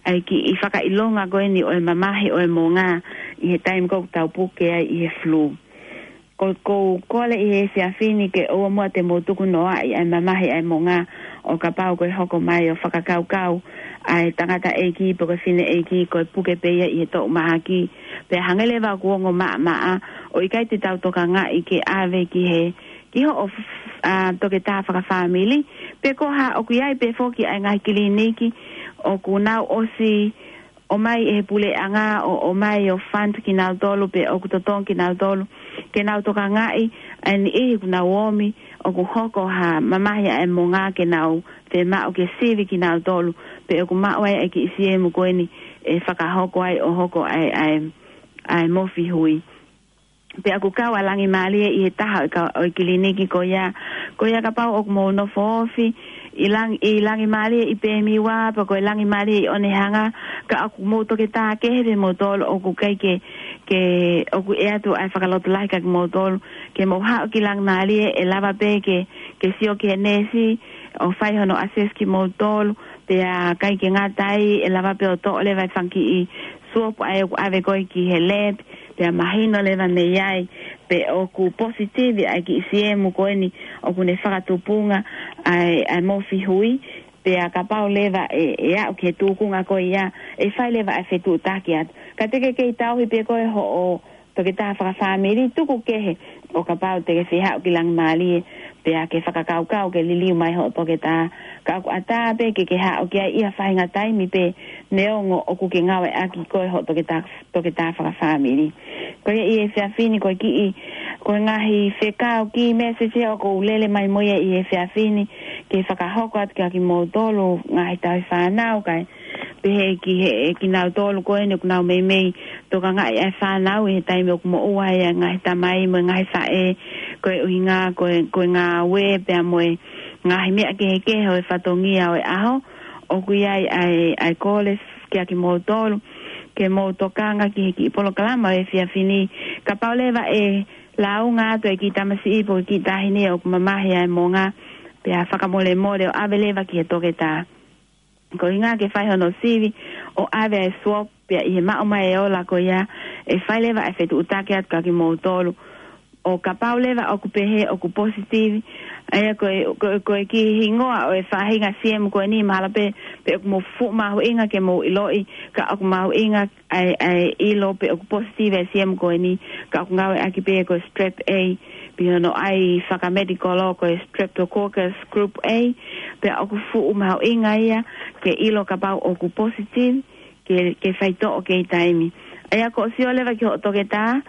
ʻa e kiʻi fakaʻilonga ko eni ʻo e mamahi ʻo e monga ʻi he taimi ko ē ʻoku tau puke ai ʻi he fulū. Ko, ʻoku ou kole ʻi he efiafi ni ke ʻoua muʻa te mou tukunoaʻi ʻa e mamahi ʻa e monga ʻo kapau ko e hoko mai ʻo fakakaukau ʻa e tangataʻeiki pe ko e fineʻeiki ko e puke pē ia ʻi he toʻu mahaki. Pea hangē leva ʻoku ongo maʻamaʻa ʻo ʻikai te tau tokangaʻi ke ʻave ki he ki hoʻo f-, ʻa, toketā fakafāmili, pe ko ha ʻoku ʻi ai pē foki ʻa e ngaahi kiliniki ʻoku nau ʻosi ʻomai ʻe he puleʻanga ʻo, ʻomai ʻo fund kinautolu pe ʻoku totongi kinautolu ke nau tokangaʻi ʻa e niʻihi ʻoku nau ōmi ʻoku hoko ha mamahi ʻa e monga ke nau fiemaʻu ke sivi kinautolu pe ʻoku maʻu ai ʻa e kiʻi siemu ko eni ʻe fakahoko ai ʻo hoko ʻa e, ʻa e, ʻa e Mofi Hui. Pea ʻoku kau ʻa Langimālie ʻi he taha ʻo e ka-, ʻo e kiliniki ko ia. Ko ia kapau ʻoku mou nofo ofi ʻi Lang-, ʻi Langimālie ʻi Pemiwa, pe ko e Langimālie ʻi ʻOnehanga, ka ʻoku mou toketā kehe pē moutolu ʻoku ʻikai ke, ke ʻoku ʻi ai atu ʻa e fakalotolahi kia kimoutolu, ke mou haʻu ki Langimālie, ʻe lava pē ke, ke sio ki he neesi ʻo fai hono assess kimoutolu, pea ʻikai ke ngata ai, ʻe lava pē ʻo toʻo leva e fanga kiʻi swab ʻa ē ʻoku ʻave ko ē ki he lab, pea mahino leva mei ai pe ʻoku positive ʻa e kiʻi siemu ko eni ʻoku ne fakatupunga ʻa e, ʻa e mofi hui, pea kapau leva ʻe, ʻe aʻu ki he tūkunga ko ia, ʻe fai leva ʻa e fetuʻutaki atu. Ka te ke kei tauhi pē koe hoʻo toketā fakafāmili, tuku kehe ʻo kapau te ke fie haʻu ki Langimālie, pea ke fakakaukau ke liliu mai hoʻo toketā. Ka ʻoku ʻatā pē ke ke haʻu ki ai ʻi ha faʻahinga taimi pē, neongo ʻoku ke ngāueʻaki koe hoʻo toketā, toketā fakafāmili. Ko ia ʻi he efiafi ni ko e kiʻi, ko e ngaahi fekau kiʻi message ʻoku ou lele mai mo ia ʻi he efiafi ni, ke fakahoko atu kia kimoutolu ngaahi tauhi fānau, kae pehē ki he, kinautolu ko eni ʻoku nau meimei tokangaʻi ʻa e fānau ʻi he taimi ʻoku moʻua ai ʻa e ngaahi tamai mo e ngaahi faʻē, ko e ʻuhinga, ko e, ko e ngāue pea mo e ngaahi meʻa kehekehe ʻo e fatongia ʻo e ʻaho, ʻoku ʻi ai ʻa e, ʻa e kole kia kimoutolu, ke mou tokanga ki he kiʻi polokalama ʻo e efiafi ni, kapau leva ʻe lāunga atu e kiʻi tamasiʻi pe ko e kiʻi taʻahine ʻoku mamahi ʻa e monga, pea fakamolemole ʻo ʻave leva ki he toketā. Ko e ʻuhinga ke fai hono sivi ʻo ʻave e swab, pea ʻi he maʻu mai e ola ko ia, ʻe fai leva e fetuʻutaki atu kia kimoutolu. ʻO kapau leva ʻoku pehē ʻoku positive, ʻa ia ko e, ko e, ko e kiʻi hingoa ʻo e faʻahinga siemu ko eni, mahalo pē, pe ʻoku mou fuʻu mahuʻinga ke mou ʻiloʻi, ka ʻoku mahuʻinga ʻa e, ʻa e ʻilo pe ʻoku positive e siemu ko eni, ka ʻoku ngāueʻaki pē ko e strep A, pea ʻi hono ʻai fakamedikolo ko e Streptococcus group A, pea ʻoku fuʻu mahuʻinga ia ke ʻilo kapau ʻoku positive, ke, ke faitoʻo kei taimi. ʻA ia ko hoʻo sio leva ki hoʻo toketā,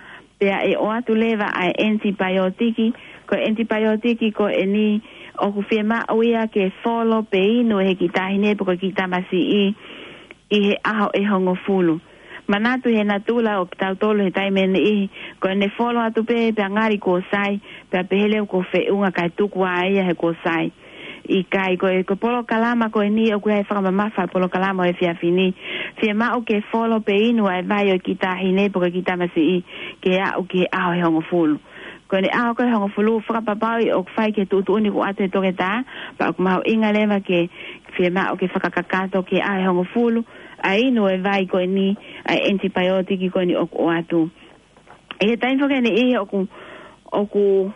pea ʻe ʻoatu leva ʻa e ʻenitipaiotiki, ko e ʻenitipaiotiki ko eni ʻoku fiemaʻu ia ke folo pe inu ʻe he kiʻi taʻahine pe ko e kiʻi tamasiʻi ʻi he ʻaho ʻe hongofulu. Manatu he natula ʻo kitautolu he taimi ʻe niʻihi, ko ʻene folo atu pē pea ngali kuo sai, pea pehē leva kuo feʻunga kae tuku ā ia he kuo sai. ʻIkai, ko e, ko e polokalama ko eni ʻoku ʻi ai e fakamamafa e polokalama ʻo e efiafi ni. Fiemaʻu ke folo pe inu ʻa e vai ʻo e kiʻi taʻahine pe ko e kiʻi tamasiʻi ke aʻu ki he ʻaho ʻe hongofulu. Ko ʻene ʻaho ko ē ʻe hongofulu, fakapapauʻi ʻoku fai ki he tuʻutuʻuni kuo ʻoatu ʻe he toketā, pea ʻoku mahuʻinga leva ke fiemaʻu ke fakakakato ki he ʻaho ʻe hongofulu ʻa e inu e vai ko eni, ʻa e ʻenitipaiotiki ko eni ʻoku ʻoatu. ʻI he taimi foki ʻe niʻihi ʻoku, ʻoku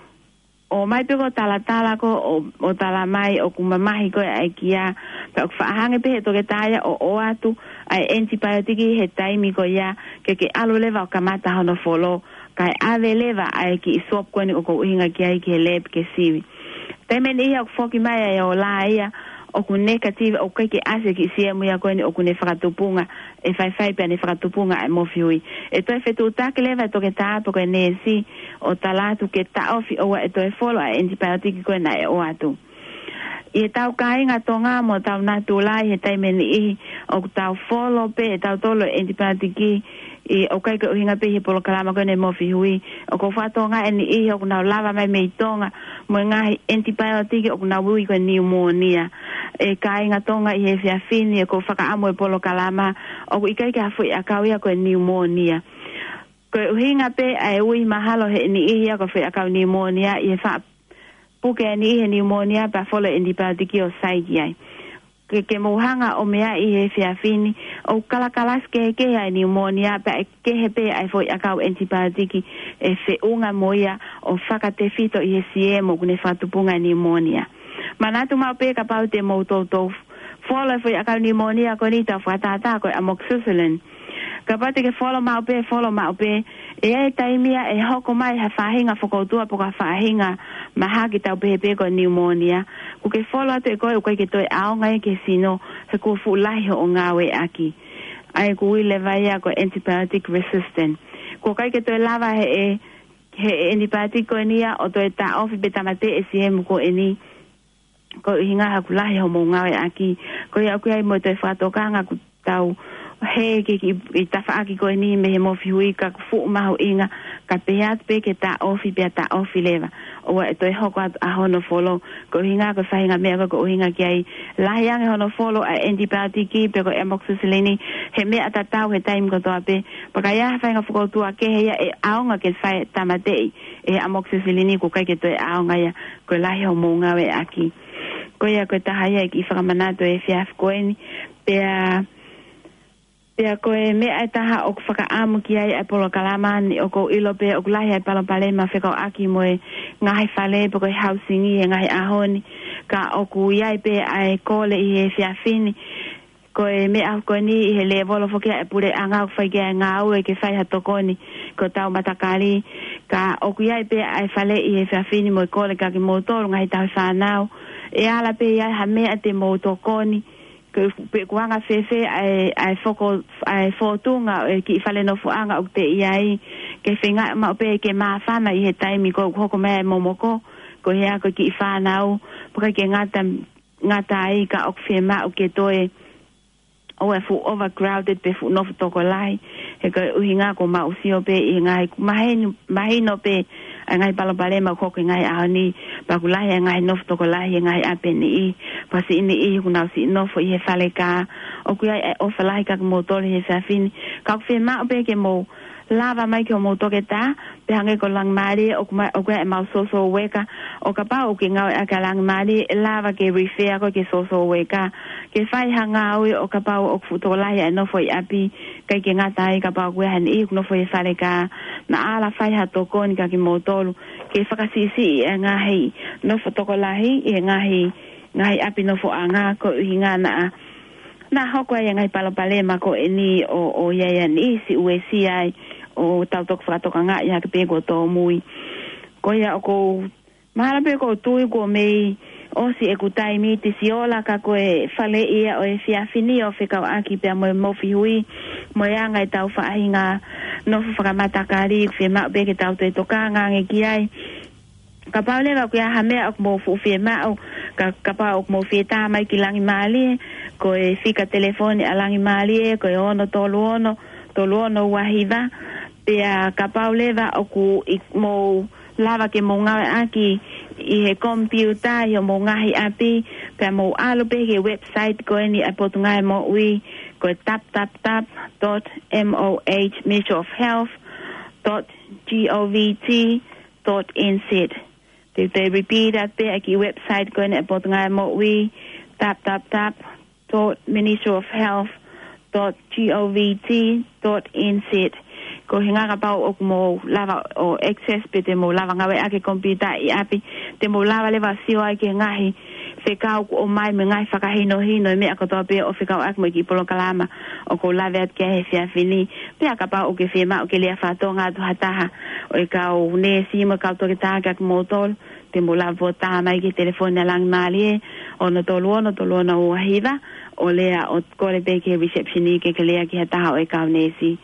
ʻomai pē ko e talatala ko ē ʻo, ʻo tala mai ʻoku mamahi ko ē ʻa e kia, pea ʻoku faʻa hanga pē ʻe he toketā ia ʻo ʻoatu ʻa e ʻenitipaiotiki he taimi ko ia ke ke ʻalu leva ʻo kamata hono folo, kae ʻave leva ʻa e kiʻi swab ko eni ʻoku ou ʻuhinga ki ai ki he lab ke sivi. Taimi ʻe niʻihi ʻoku foki mai ʻa e ola ia ʻoku negative, ʻoku ʻikai ke ʻasi e kiʻi siemu ia ko eni ʻoku ne fakatupunga, ʻe faifai pea ne fakatupunga ʻa e mofi hui. ʻE toe fetuʻutaki leva e toketā pe ko e neesi ʻo tala atu ke taʻofi ʻoua ʻe toe folo ʻa e ʻenitipaiotiki ko ē naʻe ʻoatu. ʻI heʻetau kāinga Tonga mo hotau natula, ʻi he taimi ʻe niʻihi ʻoku tau folo pē ʻe tautolu e ʻenitipaiotiki, ʻi, ʻoku ʻikai ko e ʻuhinga pē ʻi he polokalama ko eni e mofi hui. ʻOku ou fakatokangaʻi ʻe niʻihi ʻoku nau lava mai mei Tonga mo e ngaahi ʻenitipaiotiki ʻoku nau ui ko e niumōnia. ʻE kāinga Tonga, ʻi he efiafi ni ʻoku ou fakaʻamu e polokalama, ʻoku ʻikai ke ha foʻi ʻakau ia ko e niumōnia. Ko e ʻuhinga pē ʻa e ui mahalo ʻe niʻihi ia ko e foʻi ʻakau niumōnia ʻi he faʻa puke ʻe niʻihi e niumōnia pea folo e ʻenitipaiotiki ʻo sai ki ai. Ke, ke mou hanga ʻo meaʻi he efiafi ni, ʻoku kalakalasi kehekehe ʻa e niumōnia pea ʻe kehe pē ʻa e foʻi ʻakau ʻenitipaiotiki ʻe feʻunga mo ia ʻo fakatefito ʻi he siemu ʻoku ne fakatupunga e niumōnia. Manatu maʻu pē kapau te mou toutou folo e foʻi ʻakau niumōnia ko eni, tau fakatātā ko e amoxicillin. Kapau te ke folo maʻu pē, folo maʻu pē, ʻe ʻi ai e taimi ia ʻe hoko mai ha faʻahinga fokoutua pe ko ha faʻahinga mahaki, tau pehē pē ko e niumōnia. Kuo ke folo atu ʻe koe, ʻoku ʻikai ke toe ʻaonga ia ki he sino he kuo fuʻu lahi hoʻo ngāueʻaki. ʻA ia ʻoku ui leva ia ko e antibiotic resistant. Kuo ʻikai ke toe lava ʻe he, ʻe he antibiotic ko eni ia ʻo toe taʻofi pe tāmateʻi e siemu ko eni, ko e ʻuhinga he kuo lahi hoʻomou ngāueʻaki. Ko ia ʻoku ʻi ai mo e toe fakatokanga kuo tau He ke ki, i tafaʻaki ko eni mei he Mofihui ka ʻoku fuʻu mahuʻinga, ka pehē atu pē ke taʻofi pea taʻofi leva. ʻOua ʻe toe hoko atu ʻa hono folo, ko e ʻuhinga ko e faʻahinga meʻa ko ē ʻoku ʻuhinga ki ai. Lahi ange hono folo ʻa e antibiotic pe ko e amoxicillin, he meʻa tatau he taimi kotoa pē. Pea ka ʻi ai ha faʻahinga fokoutua kehe ia ʻe ʻaonga ke fai e tāmateʻi ʻe he amoxicillin, ʻoku ʻikai ke toe ʻaonga ia, ko e lahi hoʻomou ngāueʻaki. Ko ia ko e taha ia e kiʻi fakamanatu he efiafi ko eni. Pea Pea ko e meʻa ʻe taha ʻoku fakaʻamu ki ai ʻa e polokalama ni, ʻoku ou ʻilo pē ʻoku lahi ʻa e palopalema fekauʻaki mo e ngaahi fale pe ko e housing ʻi he ngaahi ʻaho ni. Ka ʻoku ʻi ai pē ʻa e kole ʻi he efiafi ni. Ko e meʻa ko eni ʻi he lēvolo foki ʻa e puleʻanga ʻoku fai ki ai e ngāue ke fai ha tokoni ki hotau matakali. Ka ʻoku ʻi ai pē ʻa e fale ʻi he efiafi ni mo e kole kia kimoutolu ngaahi tauhi fānau. ʻE ala pē ʻi ai ha meʻa te mou tokoni. Ko e pe ʻoku anga fēfē ʻa e, ʻa e foko, ʻa e fōtunga ʻo e kiʻi fale nofoʻanga ʻoku te ʻi ai, ke feinga maʻu pē ke māfana ʻi he taimi ko ē ʻoku hoko mai e momoko, ko e hā ko e kiʻi fānau, pea ʻikai ke ngata, ngata ai ka ʻoku fiemaʻu ke toe ʻoua ʻe fuʻu overcrowded pe fuʻu nofo tokolahi, he ko e ʻuhinga ʻoku mau sio pē ʻi he ngaahi mahino, mahino pē ʻa e ngaahi palopalema ʻoku hoko he ngaahi ʻaho ni, pea ʻoku lahi e ngaahi nofo tokolahi he ngaahi ʻapi ʻe niʻihi, pea siʻi niʻihi ʻoku nau siʻi nofo ʻi he fale kā. ʻOku ʻi ai e ʻofa lahi kia kimoutolu he efiafi ni, ka ʻoku fiemaʻu pē ke mou lava mai ki hoʻomou toketā, pea hangē ko Langimālie, ʻoku ma-, ʻoku ʻi ai ʻemau social worker, ʻo kapau ʻoku ke ngāueʻaki ʻa Langimālie, ʻe lava ke refer koe ki he social worker ke fai ha ngāue ʻo kapau ʻoku fuʻu tokolahi ʻa e nofo ʻi ʻapi, ʻikai ke ngata ai kapau ʻoku ʻi ai ha niʻihi ʻoku nofo ʻi he fale kā, naʻa ala fai ha tokoni kia kimoutolu ke fakasiʻisiʻi e ngaahi nofo tokolahi ʻi he ngaahi, ngaahi ʻapi nofoʻanga, ko e ʻuhinga naʻa, naʻa hoko ai e ngaahi palopalema ko eni ʻo, ʻo ʻi ai e niʻihi siʻi uesia ai, ʻo tau toki fakatokangaʻi hake pē kuo tōmui. Ko ia ʻoku ou mahalo pē ʻoku ou tui kuo mei ʻosi ʻeku taimi Tisiola, ka ko e fale ia ʻo e efiafi ni ʻoku fekauʻaki pea mo e Mofihui, mo e anga ʻetau faʻahinga nofo fakamatakali, ʻoku fiemaʻu pē ke tau toe tokanga ange ki ai. Kapau leva ʻoku ʻi ai ha meʻa ʻoku mou fuʻu fiemaʻu, ka, kapau ʻoku mou fie tā mai ki Langimālie, ko e fika telefoni ʻa Langimālie, ko e ono tolu ono, tolu ono ua hiva, pea kapau leva ʻoku ʻikai ke mou lava ke mou ngāueʻaki ʻi he komipiuta ʻi hoʻomou ngaahi ʻapi, pea mou ʻalu pē ki he website ko eni ʻa e Potungāue Moʻui, ko e tap tap tap dot M O H Ministry of Health dot G O V T dot N Z. Te u toe repeat atu pē ʻa e kiʻi website ko eni ʻa e Potungāue Moʻui, tap tap tap dot Ministry of Health dot G O V T dot N Z. Ko e ʻuhinga kapau ʻoku mou lava ʻo access pe te mou lava ngāueʻaki e komipiuta ʻi ʻapi, te mou lava leva sio ai ki he ngaahi fekau kuo ʻomai mo e ngaahi fakahinohino e meʻa kotoa pē ʻoku fekauʻaki mo e kiʻi polokalama ʻoku ou lave atu ki ai he efiafi ni. Pea kapau ʻoku ke fiemaʻu ke lea fakatonga atu ha taha ʻo e kau neesi mo e kau toketā kia kimoutolu, te mou lava pē ʻo tā mai ki he telefoni ʻa Langimālie, ono tolu ono, tolu ono ua hiva, ʻo lea ʻo kole pē ki he reception ke ke lea ki ha taha ʻo e kau neesi.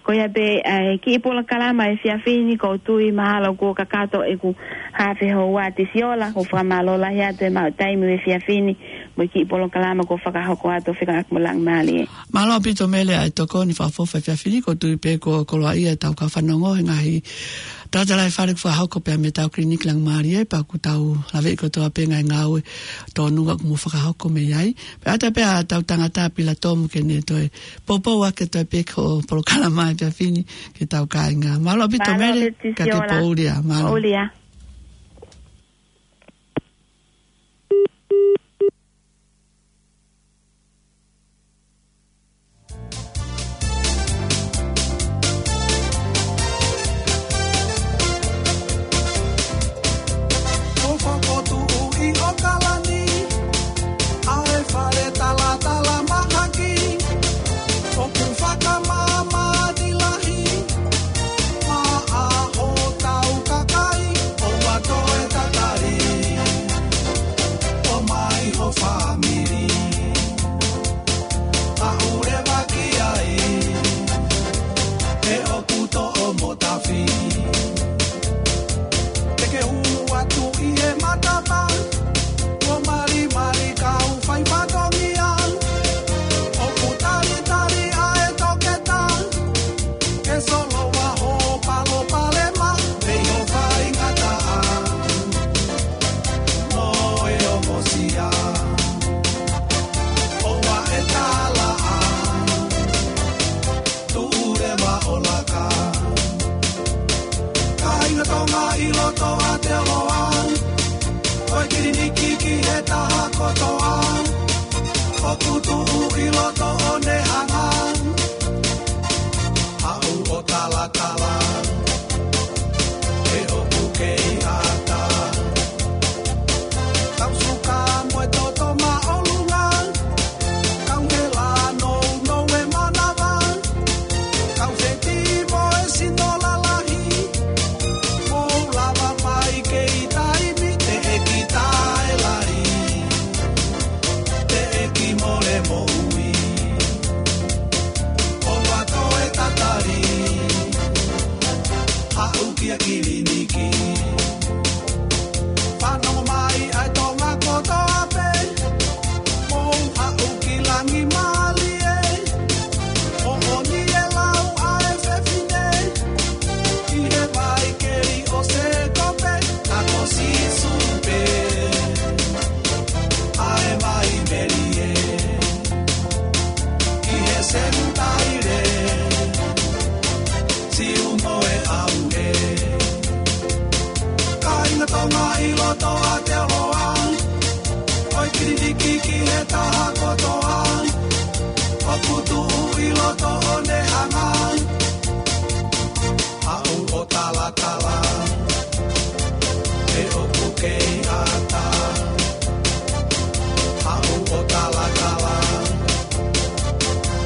Ko ia pē, ʻa e kiʻi polokalama he efiafi ni, ʻoku ou tui mahalo kuo kakato ʻeku haafe houa Tisiola, ʻoku ou fakamālō lahi atu he maʻu taimi he efiafi ni, mo e kiʻi polokalama kuo fakahoko atu ʻo fekauʻaki mo Langimālie. Mālō ʻaupito Mele ʻa e tokoni fakaʻofoʻofa he efiafi ni, ʻoku ou tui pē kuo koloaʻia ʻetau kau fanongo he ngaahi talatalaifale kuo fakahoko pea mei heʻetau kiliniki Langimālie, pea ʻoku tau laveʻi kotoa pē ngaahi ngāue tōnunga kuo mou fakahoko mei ai. Pea ʻoatu pē ʻa ʻetau tangata Pilatomu ke ne toe poupou ʻaki ʻe toe pē ko e polokalama he efiafi ni ki heʻetau kāinga. Mālō ʻaupito Mele, ka ke poʻuli ā. Mālō. Poʻuli ā. Kotoa te oloa, ʻo e kiliniki ki he taha kotoa, ʻoku tuʻu ʻi loto ʻo ne hanga, haʻu ʻo talatala, he ʻoku kei ʻata. Kau suka mo e toto māʻolunga, kau hela nounou e manava, kau feti mo e sino lalahi, mou lava mai kei taimi teʻeki taʻelali, teʻeki mole moʻui, ʻo vato e tatali, haʻu ki he kiliniki. Fanongo mai ʻa e Tonga kotoa pē, mou haʻu ki Langimālie, moʻoni e lau ʻa e fefine, ʻi he vai keli ʻo Sēkope, ʻa ko Sīsū pē, ʻa e vai melie, ʻi he senitaile, Siu mo e ʻauhe. Kāinga Tonga ʻi loto ʻa Aotearoa, ʻo e kiliniki ki he taha kotoa, ʻoku tuʻu ʻi loto ʻo ne hanga, haʻu ʻo talatala, he ʻoku kei ʻata. Haʻu ʻo talatala,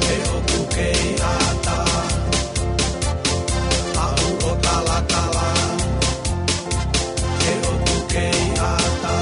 he ʻoku kei ʻata. Haʻu ʻo talatala, he ʻoku kei ʻata.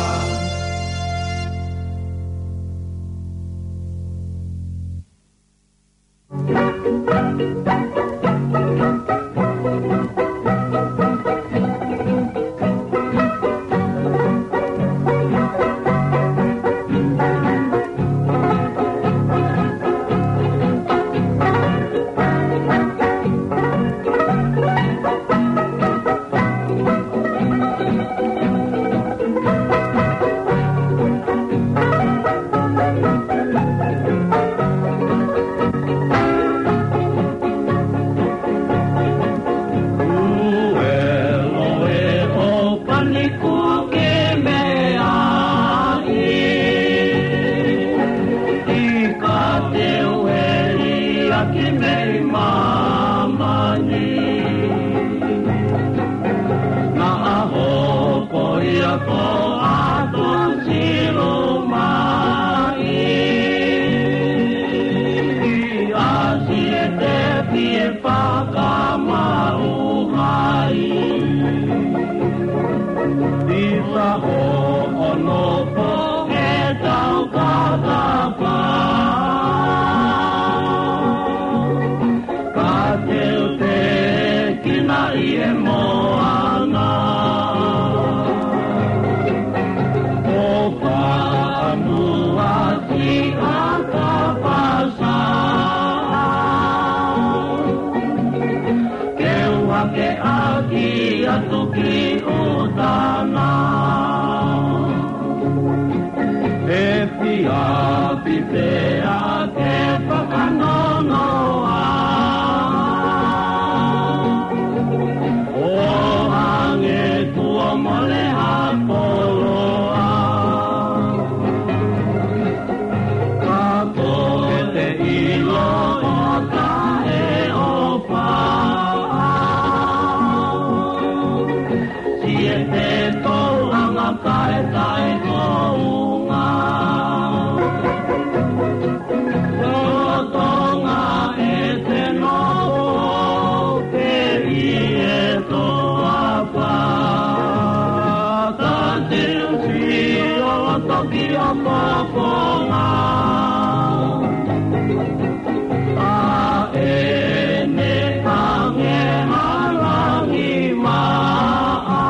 Naʻa hopo ia ko ʻAtu Silo mai, ʻi ʻAsi e te pie fakamaʻu hai. ʻI Saho ʻo nopo e tau katafa. Ka te u te kina ʻi he moana, ʻo fakamua ki ʻAkapasa. Ke u hake ʻaki atu ki ʻUtana. He fia pipea ke fakanonoa, ʻo hangē kuo mole ha koloa. Ka ko e te ʻilo ʻo taʻeʻofa. Siʻete tōʻonga kae taʻekounga. Lolotonga ʻete noho pē ʻi he toafa. Ka te u sio loto ki ʻo kokonga. ʻA ʻene hangē ha langi maʻa.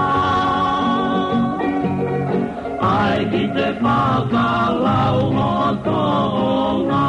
ʻAi ki te fakalau mo Tonga.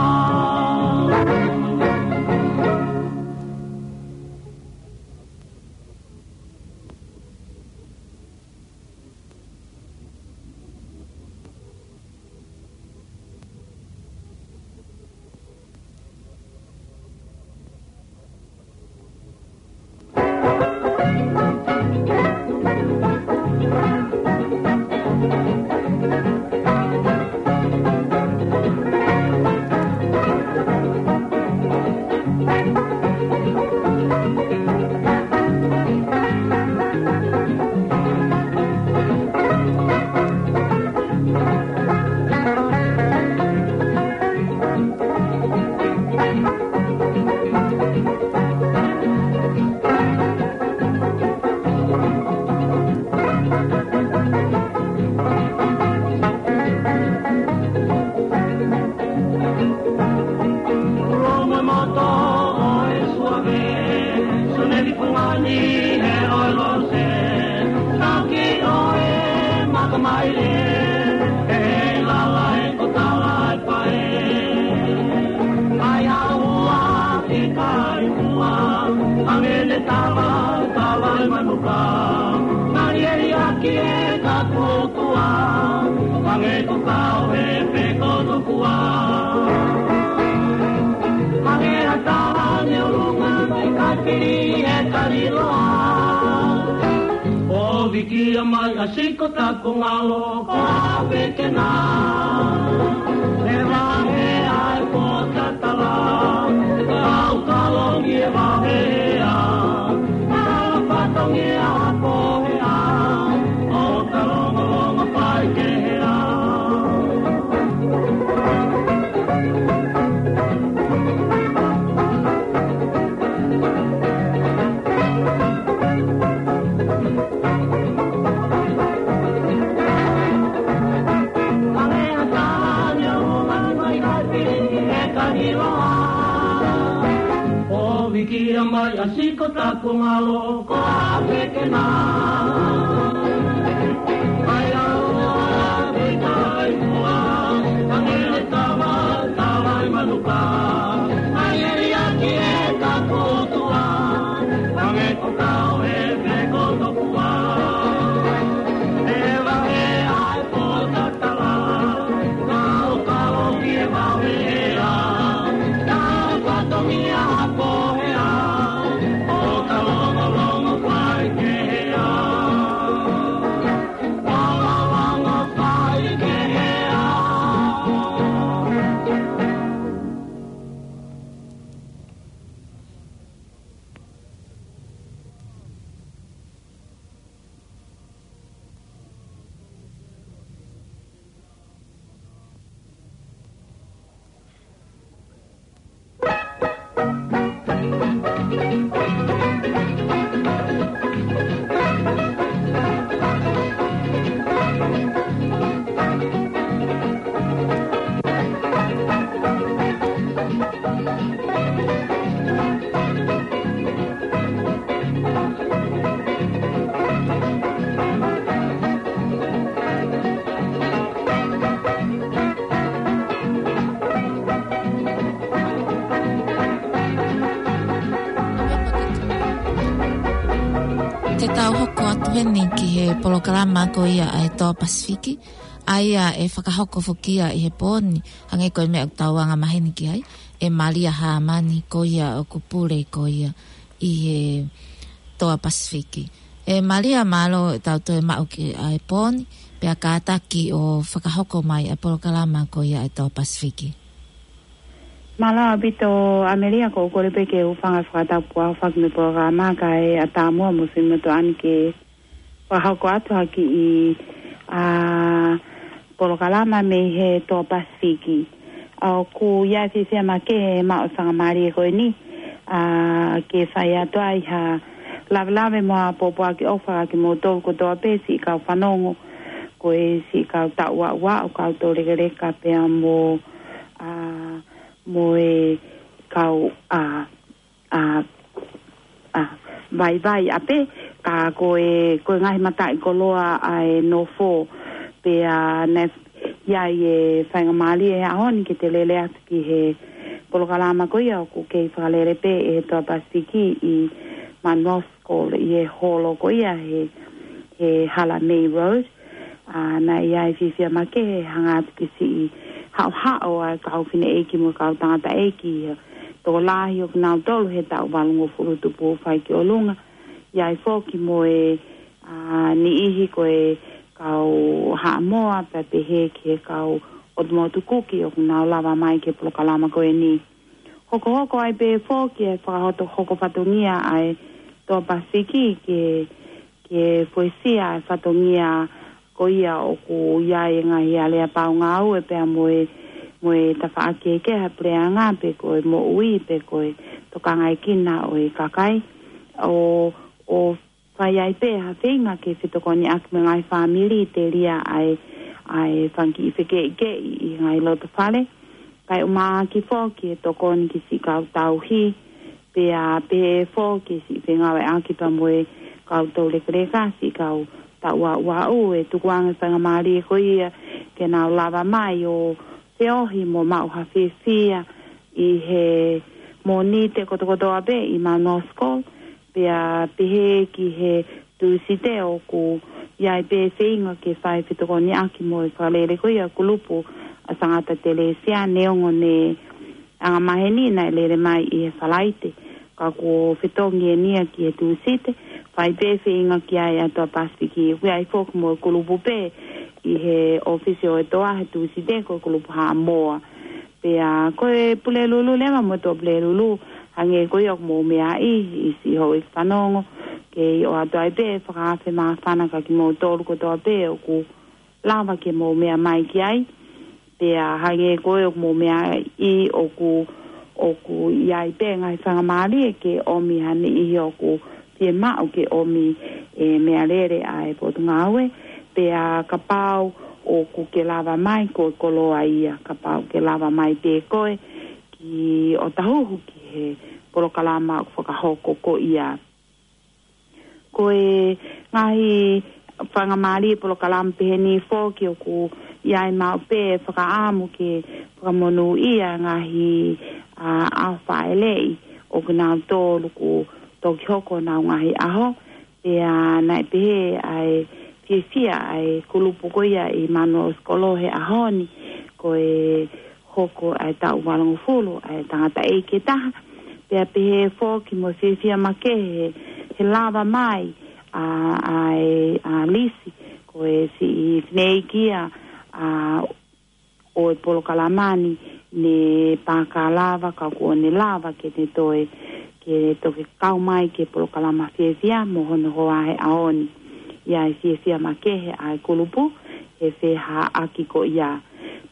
Tava, tava ʻi manuka, ngali e liaki e kakutua, mange ko kau he peko tokua. Mange a tava ne ulunga mai kapiri e kaliloa. O vikia mai a siko taku ngalo ko a pekena. E vahe ai ko tatala, kau kalongi e vahea. Kau fatongia ko hea, o kalonga longa pai ke hea. O vikia mai a siko taku ngalo ko a pekena. Ai au a vikai mua, angele tava, tava ʻi manuka. Ai e liaki e kakutua, ange ko kau he peko tokua. E vahe ai ko tatala, kau kau ki e vahea. Kau fatongia ko hea, o kalonga longa pai ke hea. Kalonga longa pai ke hea. Te tau hoko atu heni ki he polokalama ko ia ʻa e Toa Pasifiki, ʻa ia ʻe fakahoko foki ia ʻi he pō ni, hangē ko e meʻa ʻoku tau anga maheni ki ai, ʻe Malia Hāmani ko ia ʻoku pule ko ia ʻi he Toa Pasifiki. ʻE Malia, mālō e tau toe maʻu ki ʻa e pō ni, pea kātaki ʻo fakahoko mai ʻa e polokalama ko ia ʻa e Toa Pasifiki. Mālō ʻaupito ʻAmelia, ko u kole pē ke u hūfanga he fakatapu ʻa e fakamoʻoni polokalama kae ʻatā muʻa mo siʻi motuʻa ni ke fakahoko atu ha kiʻi, ʻa, polokalama mei he Toa Pasifiki. ʻA, ʻoku ʻi ai e fiefia makehe he maʻu faingamālie ko eni, ʻa, ke fai atu ai ha lavelave mo ha pōpoaki ʻofa kiate kimoutolu kotoa pē siʻi kau fanongo, ko e siʻi kau taʻu aʻu ʻa e kau toulekeleka pea mo, ʻa, mo e kau, ʻa, ʻa, ʻa, vaivai ʻapē, ka ko e, ko e ngaahi mataʻikoloa ʻa e nofo, pea naʻe ʻi ai e faingamālie he ʻaho ni ke te lele atu ki he polokalama ko ia ʻoku kei fakalele pē ʻe he Toa Pasifiki ʻi Mount Roskill ʻi he holo ko ia he, he Hala May Road. ʻA, naʻe ʻi ai e fiefia makehe he hanga atu ki he siʻi haʻohaʻo ʻa e kau fineʻeiki mo e kau tangataʻeiki, tokolahi ʻoku nau tolu he taʻu valungofulu tupu fai ki ʻolunga. ʻI ai foki mo e, ʻa, niʻihi ko e kau Haʻamoa pea pehē ki he kau ʻOtu Motu Kuki ʻoku nau lava mai ki he polokalama ko eni. Hokohoko ai pē foki e fakahokohoko fatongia ʻa e Toa Pasifiki ke, ke fuesia e fatongia ko ia ʻoku ʻi ai e ngaahi aleapau ngāue pea mo e, mo e tafaʻaki kehekehe ʻa e puleʻanga pe ko e moʻui pe ko e tokangaekina ʻo e kakai. ʻO, ʻo fai ai pē ha feinga ke fetokoniʻaki mo e ngaahi fāmili telia ʻa e, ʻa e fanga kiʻi fekeʻikeʻi ʻi he ngaahi loto fale. Kae ʻumaʻā foki e tokoni ki siʻi kau tauhi, pea pehē foki siʻi fengāueʻaki pea mo e kau toulekeleka, siʻi kau taʻu aʻu ʻa e tukuange faingamālie ko ia ke nau lava mai ʻo feohi mo maʻu ha fiefia ʻi he Mōnite kotokotoa pē ʻi Mount Roskill, Pea pehē ki he Tūsite ʻoku ʻi ai pē feinga ke fai fetokoniʻaki mo e fakalele ko ia kulupu ʻa Sangata Telesia, neongo ne anga maheni naʻe lele mai ʻi he Falaite. Ka kuo fetongi eni ia ki he Tūsite, fai pē feinga ki ai ʻa e Toa Pasifiki. ʻOku ʻi ai foki mo e kulupu pē ʻi he ʻōfisi ʻo e Toa he Tūsite, ko e kulupu Haʻamoa. Pea ko e Pulelulu leva mo e Tuʻapulelulu, hangē ko ia ʻoku mou meaʻi, ʻi siʻi houʻeiki fanongo, ke ʻoatu ai pē fakaafe māfana kia kimoutolu kotoa pē ʻoku lava ke mou meʻa mai ki ai. Pea hangē ko ia ʻoku mou meaʻi, ʻoku, ʻoku ʻi ai pē ngaahi faingamālie ke ʻomi ha niʻihi ʻoku fiemaʻu ke ʻomi e meʻalele ʻa e Potungāue. Pea kapau ʻoku ke lava mai, ko e koloa ia, kapau ke lava mai pē koe ki ʻOtahuhu ki he polokalama ʻoku fakahoko ko ia. Ko e ngaahi faingamālie polokalama peheni foki ʻoku ʻi ai maʻu pē fakaʻamu ke fakamonūʻia ngaahi, ʻa, ʻaho fāʻeleʻi ʻo kinautolu kuo toki hoko honau ngaahi ʻaho. Pea naʻe pehē ʻa e fiefia ʻa e kulupu ko ia ʻi Manuel Sikolo he ʻaho ni, ko e hoko ʻa e taʻu valungofulu ʻa e tangataʻeiki ʻe taha. Pea pehē foki mo e fiefia makehe he lava mai ʻa, ʻa e, ʻa Lisi, ko e siʻi fineʻeiki ia, ʻa, ʻo e polokalama ni, ne pāka lava ka kuo ne lava ke ne toe, ke toki kau mai ki he polokalama fiefia mo hono hoa he ʻaho ni. ʻI ai fiefia makehe ʻa e kulupu he fehaʻaki ko ia.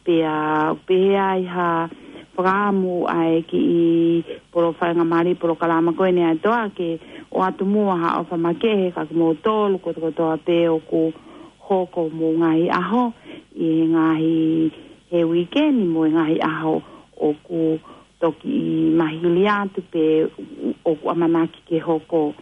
Pea pehē ai ha fakaʻamu ʻa e kiʻi polo-, faingamālie polokalama ko eni ʻa e Toa ke ʻoatu muʻa ha ʻofa makehe kia kimoutolu kotokotoa pē ʻoku hoko homou ngaahi ʻaho ʻi he ngaahi, he uike ni mo e ngaahi ʻaho ʻoku toki mahili atu pe ʻoku ʻamanaki ke hoko.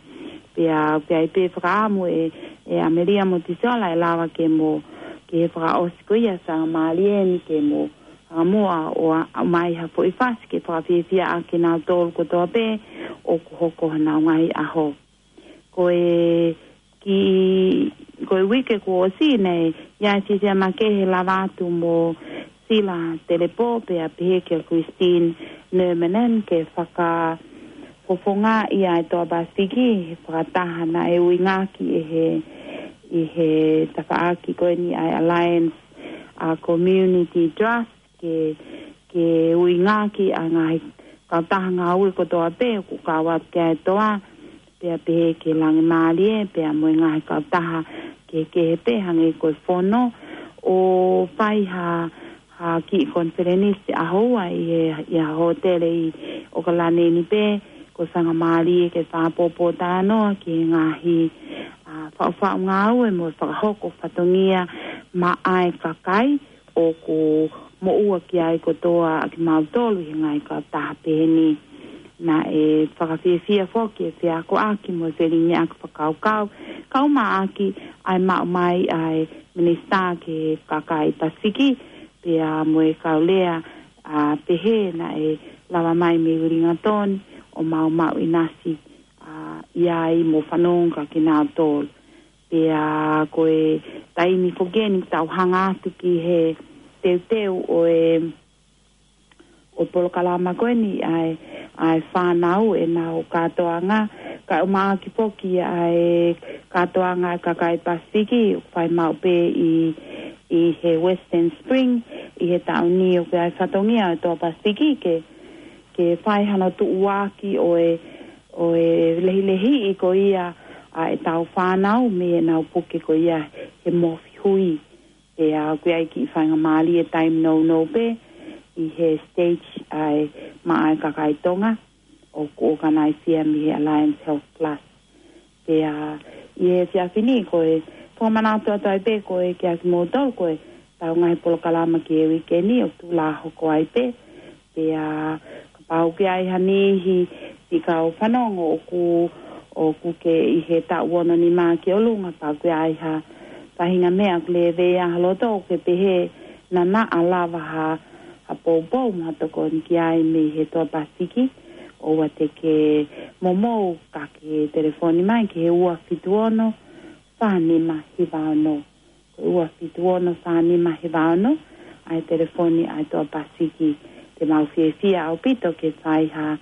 Pea, pea ʻi ai pē fakaʻamu ʻe, ʻe ʻAmelia Motisola ʻe lava ke mo, ke he fakaʻosi ko ia faingamālie ni ke mo fakamuʻa ʻo ʻomai ha foʻi fasi ke fakafiefiaʻaki kinautolu kotoa pē ʻoku hoko honau ngaahi ʻaho. Ko e kiʻi, ko e uike kuo ʻosi naʻe ʻi ai fiefia makehe lava atu mo Sila Telepō pea pehē kia Christine Nurminen ke fakafofongaʻi ʻa e Toa Pasifiki he fakataha naʻe uingaki ʻe he, ʻi he tafaʻaki ko eni ʻa e Alliance, ʻa, Community Trust ke, ke uingaki ʻa e ngaahi kautaha ngāue kotoa pē ʻoku kau atu ki ai e Toa, pea pehē ki he Langi Mālie, pea mo e ngaahi kautaha kehekehe pē hangē ko e Fono, ʻo fai ha, ha kiʻi konifelenisi ʻaho ua ʻi he, ʻi ha hōtele ʻi ʻOkalani ni pē, ko e faingamālie ke fakapotopoto talanoa ki he ngaahi, ʻa, faʻufaʻu ngāue mo e fakahoko fatongia maʻa e kakai ʻoku moʻua ki ai kotoa ʻa kimautolu ʻi he ngaahi kautaha peheni. Naʻe fakafiefia foki e feakoʻaki mo e felingiʻaki fakakaukau, kau maʻaki ʻa e maʻu mai ʻa e Minisitā ki he Kakai Pasifiki, pea mo e kau lea, ʻa, pehē naʻe lava mai mei Uelingatoni ʻo maumau ʻinasi, ʻa, ʻi ai mo fanongo kia kinautolu. Pea ko e taimi foki eni tau hanga atu ki he teuteu ʻo e, ʻo e polokalama ko eni ʻa e, ʻa e fānau ʻenau kātoanga. Kae ʻumaʻā foki ʻa e kātoanga ʻa e kakai Pasifiki, ʻoku fai maʻu pē ʻi, ʻi he Western Spring, ʻi he taʻu ni ʻoku ʻi ai fatongia ʻa e Toa Pasifiki ke, ke fai hano tuʻuaki ʻo e, ʻo e lehilehiʻi ko ia ʻa ʻetau fānau mei heʻenau puke ko ia he mofi hui. Pea ʻoku ʻi ai kiʻi faingamālie taimi nounou pē ʻi he stage ʻa e maʻa e kakai Tonga ʻoku ʻokanaisia mei he Alliance Health Plus. Pea ʻi he efiafi ni ko e fakamanatu atu ai pē ko e kia kimoutolu ko ʻetau ngaahi polokalama ki he uike ni ʻoku tuʻu lā hoko ai pē. Pea kapau ʻoku ʻi ai ha niʻihi siʻi kau fanongo ʻoku, ʻoku kei ʻi he taʻu ono nima ki ʻolunga, pea ʻoku ʻi ai ha faʻahinga meʻa ʻoku lēvea ha loto ʻoku ke pehē naʻa na lava ha, ha poupou mo ha tokoni ki ai mei he Toa Pasifiki, ʻOua te ke momou ka ke telefoni mai ki he ua fitu ono, fā nima hiva ono. Ko e ua fitu ono, fā nima hiva ono, ʻa e telefoni ʻa e Toa Pasifiki. Te mau fiefia ʻaupito ke fai ha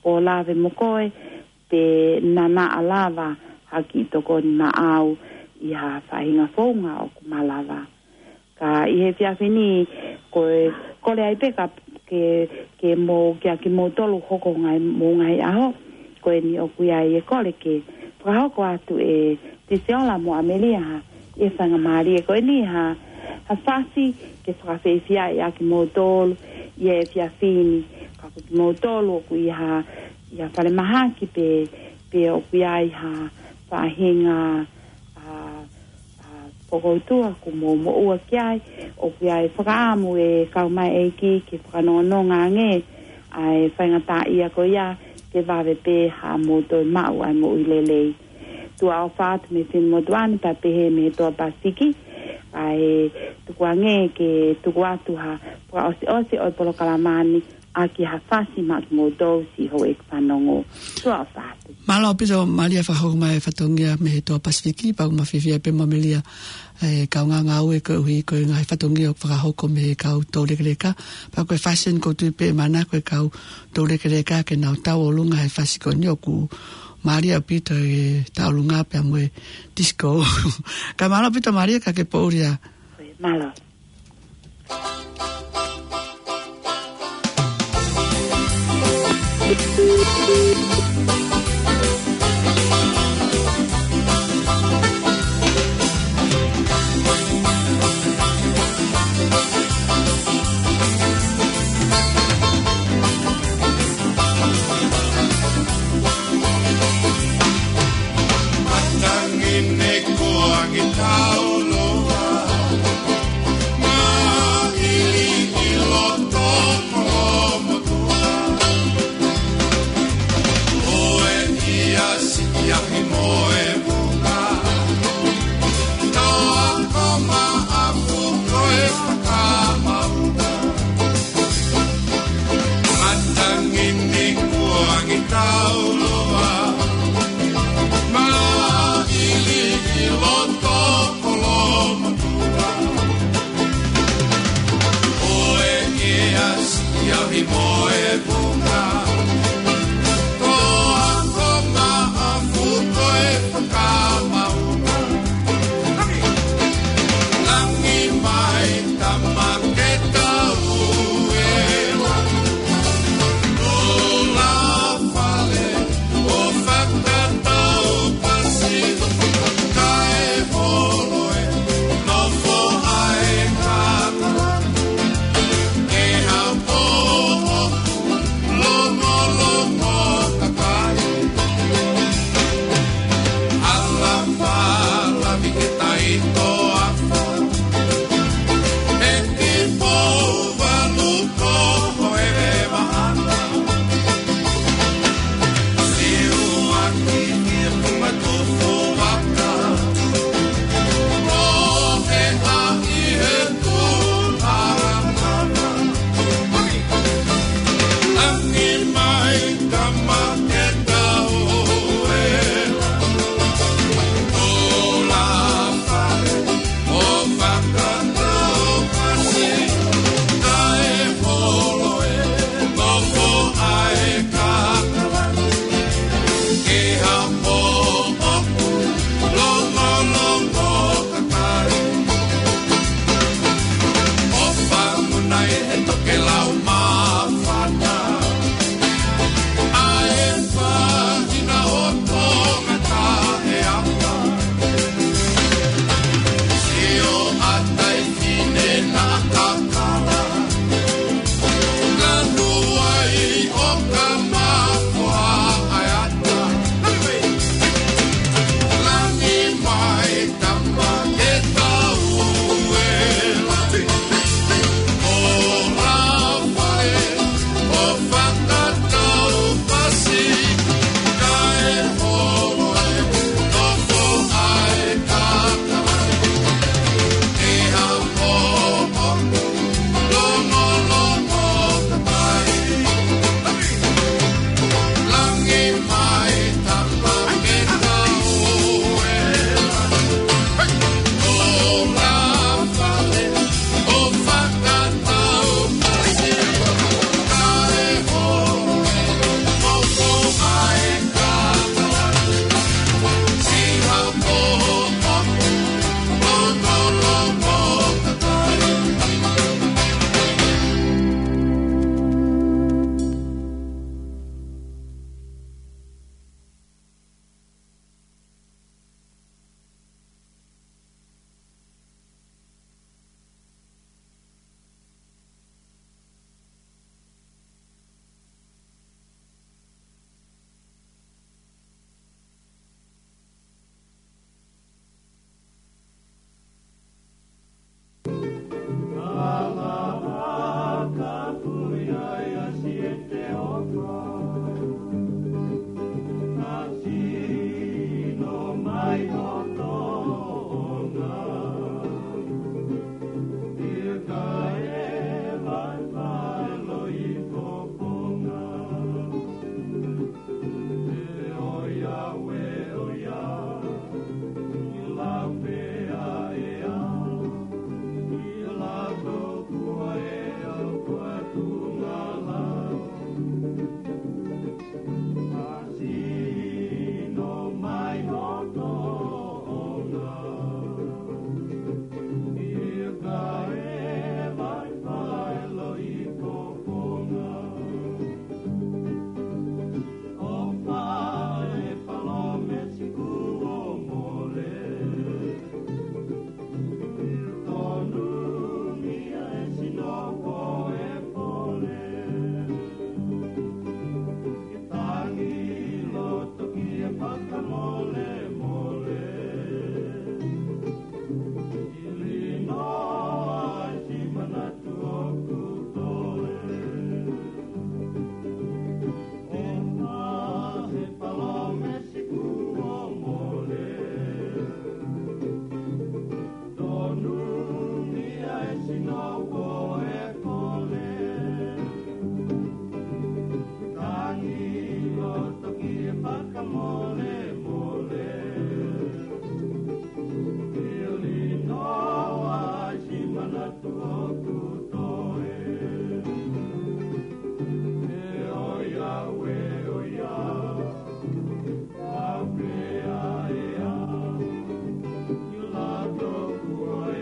pōlave mo koe, pe naʻa na lava ha kiʻi tokoni maʻau ʻi ha faʻahinga founga ʻoku malava. Ka ʻi he efiafi ni, ko e kole ai pē ka ke, ke mo kia kimoutolu hoko ngai mo ngai aho, ko eni ʻoku ʻi ai e kole ke fakahoko atu ʻe Tiseola mo ʻAmelia ha, ʻi he faingamālie ko eni ha, ha fasi ke fakafeʻiloaki kimoutolu ʻi he efiafi ni, ka ko kimoutolu ʻoku ʻi ha, ʻi ha falemahaki pe, pe ʻoku ʻi ai ha faʻahinga, ʻa, ʻa, fokoutua ʻoku mou moʻua ki ai, ʻoku ʻi ai fakaʻamu ʻe kau mai ʻEiki ke fakanongononga ange ʻa e faingataʻaʻia ko ia ke vave pē ha mou toe maʻu ʻa e moʻui lelei. Tuʻa ʻofa atu mei Finemotuʻa ni pea pehē mei he Toa Pasifiki, ʻa e tuku ange ke tuku atu ha fakaʻosiʻosi ʻo e polokalama ni ʻaki ha fasi maʻa kimoutolu siʻi houʻeiki fanongo. Tuʻa ʻofa atu. Mālō ʻaupito Malia fakahoko mai e fatongia mei he Toa Pasifiki, pea ʻoku ma fiefia pē mo ʻAmelia ʻe kaungā ngāue koeʻuhi ko e ngaahi fatongia ʻoku fakahoko mei he kau toulekeleka. Pea ko e fasi eni ʻoku ou tui pē ʻe manako e kau toulekeleka ke nau tauʻolunga he fasi ko eni ʻoku mālie ʻaupito e tauʻolunga pea mo e disco. Ka mālō ʻaupito Malia ka ke poʻuli ā. Mālō. Numi ai sino ko e kole. Tangi loto ki he fakamolemole. Ili noa si manatu ʻoku toe. E ʻoiauē, ʻoiauē. Aupea ea. Io la toku e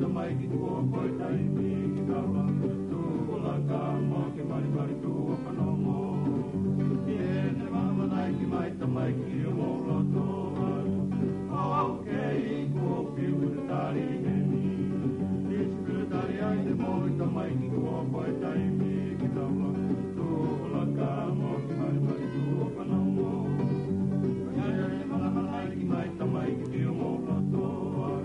Tamaiki, tuʻu ʻo pō e taimi ki taula, tuʻu ʻo laka mo ke malimali, tuʻu ʻo fanongo. Ki heʻene māmani ki mai tamaiki ʻo mou loto ai. ʻOku ou kei kuo fiu ke tali heni. Isi ke tali ai te mou tamaiki, tuʻu ʻo pō e taimi ki taula, tuʻu ʻo laka mo ke malimali, tuʻu ʻo fanongo. Ki heʻene māmani ki mai tamaiki ʻo mou loto ai.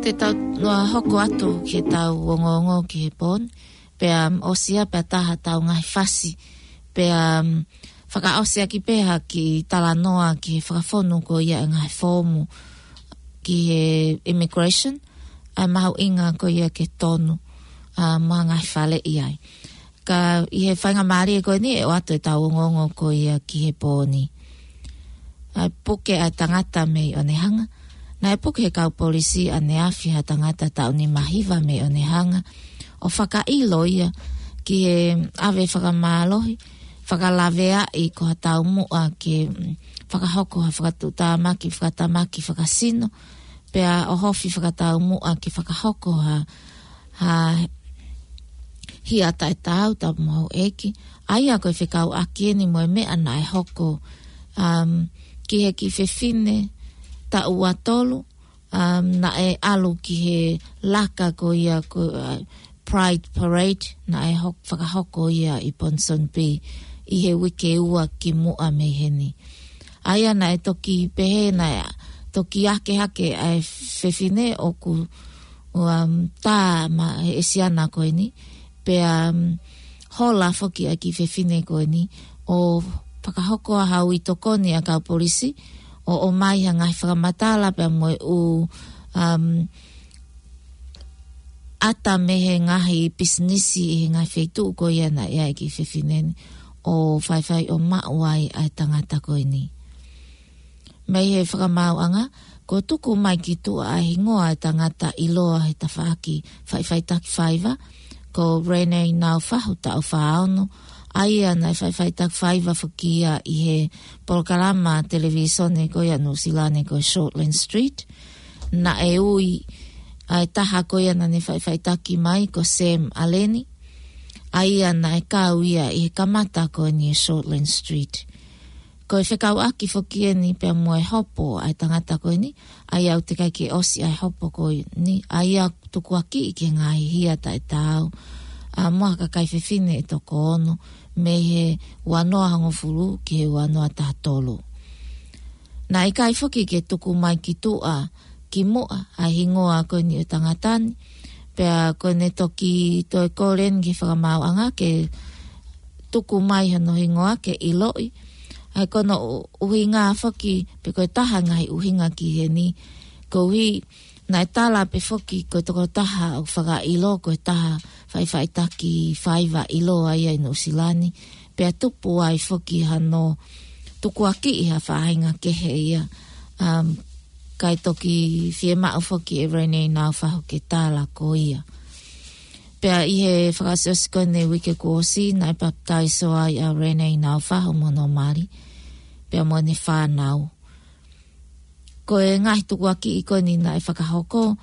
Te tau noa hoko atu ki heʻetau ongoongo ki he pō ni, pea, um, ʻosi ia pea taha ʻetau ngaahi fasi, pea, um, fakaʻosi ʻaki pē ha kiʻi talanoa ki he fakafonu ko ia e ngaahi foomu ki he immigration, ʻa e mahuʻinga ko ia ke tonu, ʻa, mo e ngaahi faleʻi ai. Ka ʻi he faingamālie ko eni ʻe ʻoatu ʻetau ongoongo ko ia ki he pō ni. ʻA e puke ʻa e tangata mei ʻOnehunga. Naʻe puke ʻe he kau polisi ʻaneafi ha tangata taʻu nimahiva mei ʻOnehunga, ʻo fakaʻilo ia ki he ʻave fakamālohi, fakalaveaʻi ko ha taumuʻa ke, mm, fakahoko ha fakatuʻutāmaki fakatamaki fakasino, pea ʻohofi fakataumuʻa ke fakahoko ha, ha hia taʻetaau, tapu mo houʻeiki. ʻA ia ko e fekauʻaki eni mo e meʻa naʻe hoko, um, ki he kiʻi fefine taʻu ua tolu, um, naʻe ʻalu ki he laka ko ia ko, uh, Pride Parade, naʻe hok-, fakahoko ia ʻi Ponsonby ʻi he uike ua kimuʻa mei heni. ʻA ia naʻe toki pehē, naʻe toki akehake ʻa e fefine ʻoku, um, tā maʻa e siana ko eni, pea, um, hola foki ʻa e kiʻi fefine ko eni, ʻo fakahoko ha ui tokoni ʻa e kau polisi, ʻo, ʻomai ha ngaahi fakamatala pea mo e ʻū, um, ʻata mei he ngaahi pisinisi ʻi he ngaahi feituʻu ko ia naʻe ʻi ai e kiʻi fefine ni, ʻo faifai ʻo maʻu ai ʻa e tangata ko eni. Mei he fakamaauʻanga, kuo tuku mai ki tuʻa ʻa e hingoa ʻo e tangata ʻiloa he tafaʻaki faʻifaʻitaki faiva, ko Renee Naufahu, taʻu fā ono, ʻa ia naʻe faʻifaʻitaki faiva foki ia ʻi he polokalama televīsone ko ia Nuʻusila ni ko Shortland Street. Naʻe ui ʻa e taha ko ia naʻa ne faʻifaʻitaki mai ko Sam ʻAleni, ʻa ia naʻe kau ia ʻi he kamata ko eni ʻo Shortland Street. Ko e fekauʻaki foki eni pea mo e hopo ʻa e tangata ko eni, ʻa ia ʻoku teʻeki ai ke ʻosi ʻa e hopo ko eni, ʻa ia ʻoku tukuakiʻi ki he ngaahi hia taʻetaau, ʻa, mo ha kakai fefine ʻe toko ono, mei he ua noa hongofulu ki he ua noa taha tolu. Naʻe ʻikai foki ke tuku mai ki tuʻa kimuʻa ʻa e hingoa ko eni ʻo e tangata ni, pea ko ʻene toki toe kole eni ki he fakamaauʻanga ke tuku mai hono hingoa ke ʻiloʻi. ʻA ia ko hono ʻu-, ʻuhinga foki, pe ko e taha e ngaahi ʻuhinga ki heni, koeʻuhi naʻe tala pē foki ko e tokotaha ʻoku fakaʻilo ko e taha faʻifaʻitaki faiva ʻiloa ia ʻi Nuʻusila ni, pea tupu ai foki hano tukuakiʻi ha faʻahinga kehe ia, um, kae toki fiemaʻu foki ʻe Renee Naufahu ke tala ko ia. Pea ʻi he fakaʻosiʻosi ko eni e uike kuo ʻosi, naʻe papitaiso ai ʻa Renee Naufahu mo hono mali, pea mo ʻene fānau. Ko e ngaahi tukuakiʻi ko eni naʻe fakahoko,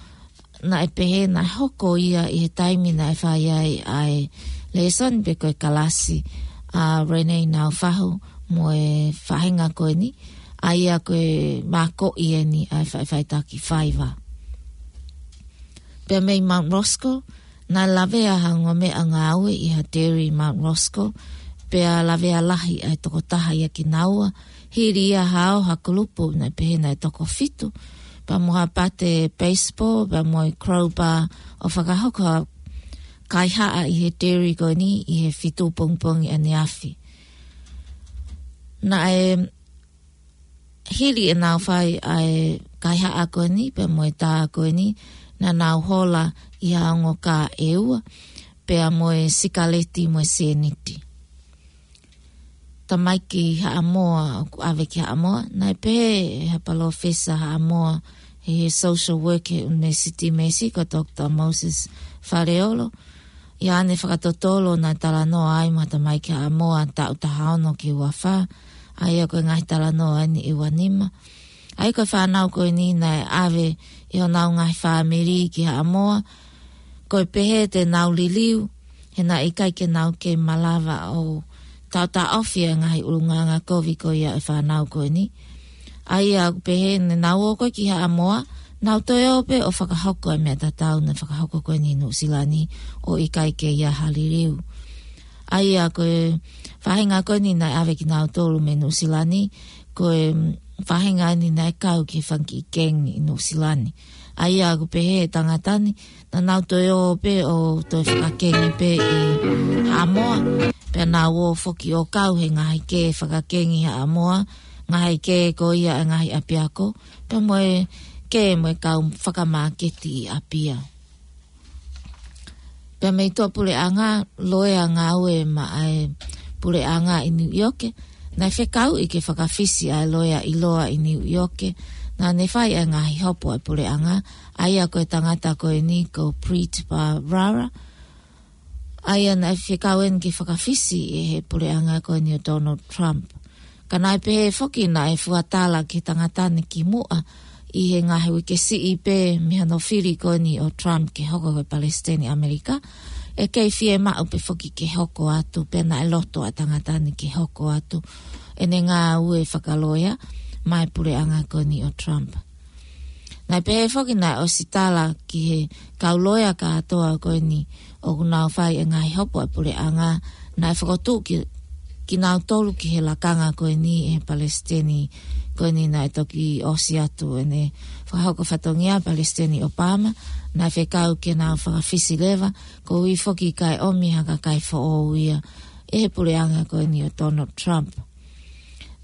naʻe pehē naʻe hoko ia ʻi he taimi naʻe fai ai ʻa e lēsoni pe ko e kalasi ʻa Renee Naufahu mo e faʻahinga ko eni, ʻA ia ko e mākoʻi eni ʻa e faʻifaʻitaki faiva. Pea mei Mount Roskill, naʻe lavea ha ongo meʻangāue ʻi ha dairy Mount Roskill, pea lavea lahi ʻa e tokotaha ia kinaua, hili ia hao ha kulupu naʻe pehē naʻe toko fitu, pea mo ha pate baseball, pea mo e crowbar ʻo fakahoko ha kaihaʻa ʻi he dairy ko eni ʻi he fitu pongipongi ʻaneafi. Naʻe hili ʻenau fai ʻa e kaihaʻa ko eni, pea mo e tā ko eni, naʻa nau hola ʻi ha ongo kā ʻe ua, pea mo e sikaleti mo e sēniti. Tamaiki Haʻamoa, ʻoku ʻave ki Haʻamoa, naʻe pehē ʻe ha palōfesa Haʻamoa, he, he social work he ʻUnivēsiti Massey ko Doctor Moses Faleolo, ʻi haʻane fakatotolo naʻe talanoa ai mo ha tamaiki Haʻamoa taʻu taha ono ki he ua fā, ʻa ia ko e ngaahi talanoa eni ʻe ua nima. ʻA ia ko e fānau ko eni naʻe ʻave ʻe honau ngaahi fāmili ki Haʻamoa, ko e pehē te nau liliu, he naʻe ʻikai ke nau kei malava ʻo taʻotaʻofi ʻa e ngaahi ʻulungaanga kovi ko ia ʻa e fānau ko eni. ʻA ia ʻoku pehē ne nau ō ko ē ki Haʻamoa, nau toe ō pē ʻo fakahoko ʻa e meʻa tatau naʻe fakahoko ko eni ʻi Nuʻusila ni ʻo ʻikai ke ʻi ai ha liliu. ʻA ia ko e faʻahinga ko eni naʻe ʻave kinautolu mei Nuʻusila ni, ko e, mm, faʻahinga eni naʻe kau ki he fanga kiʻi kengi ʻi Nuʻusila ni. ʻA ia ʻoku pehē ʻe he tangata ni, naʻa nau toe ō pē ʻo toe fakakengi pē ʻi Haʻamoa. Pea nau ō foki ʻo kau he ngaahi kē fakakengi Haʻamoa, ngaahi kē ko ia ʻa e ngaahi ʻapiako, pea mo e kē mo e kau fakamāketi ʻi ʻApia. Pea mei tuʻapuleʻanga, loea ngāue maʻa e puleʻanga ʻi Niu ʻIoke, naʻe fekauʻi ke fakafisi ʻa e loea ʻiloa ʻi Niu ʻIoke, naʻa ne fai ʻa e ngaahi hopo ʻa e puleʻanga, ʻa ia ko e tangata ko eni ko Preet Bharara, ʻa ia naʻe fekau eni ke fakafisi ʻe he puleʻanga ko eni ʻo Donald Trump. Ka naʻe pehē foki naʻe fuatala ki he tangata ni kimuʻa ʻi he ngaahi uike siʻi pē mei hono fili ko eni ʻo Trump ke hoko ko e Palesiteni ʻAmelika, ʻe kei fiemaʻu pē foki ke hoko atu, pea naʻe loto ʻa e tangata ni ke hoko atu ʻene ngāue fakaloea maʻa e puleʻanga ko eni ʻo Trump. Naʻe pehē foki naʻe ʻosi tala ki he kau loea kātoa ko eni ʻoku nau fai e ngaahi hopo ʻa e puleʻanga, naʻe fokotuʻu ki, kinautolu ki he lakanga ko eni ʻe he Palesiteni ko eni naʻe toki ʻosi atu ʻene fakahoko fatongia, Palesiteni Obama, naʻe fekau ke nau fakafisi leva, koeʻuhi foki kae ʻomi ha kakai foʻou ia ʻe he puleʻanga ko eni ʻo Donald Trump.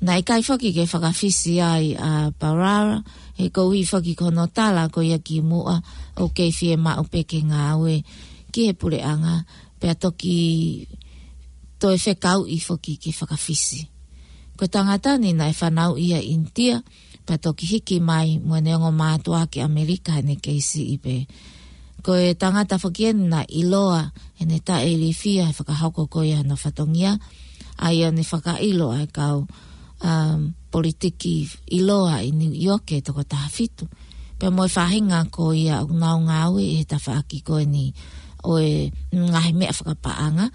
Naʻe ʻikai foki ke fakafisi ai ʻa Bharara, he koeʻuhi foki ko hono tala ko ia kimuʻa ʻoku kei fiemaʻu pē ke ngāue ki he puleʻanga, pea toki toe fekauʻi foki ke fakafisi. Ko e tangata ni naʻe fanauʻi ʻi ʻInitia, pea toki hiki mai mo ʻene ongo mātuʻa ki ʻAmelika heʻene kei siʻi pē. Ko e tangata foki eni naʻe ʻiloa heʻene taʻeilifia he fakahoko ko ia hono fatongia, ʻa ia naʻe fakaʻilo ʻa e kau, um, politiki ʻiloa ʻi Niu ʻIoke ʻe toko taha fitu. Pea mo e faʻahinga ko ia ʻoku nau ngāue ʻi he tafaʻaki ko eni ʻo e ngaahi meʻa fakapaʻanga.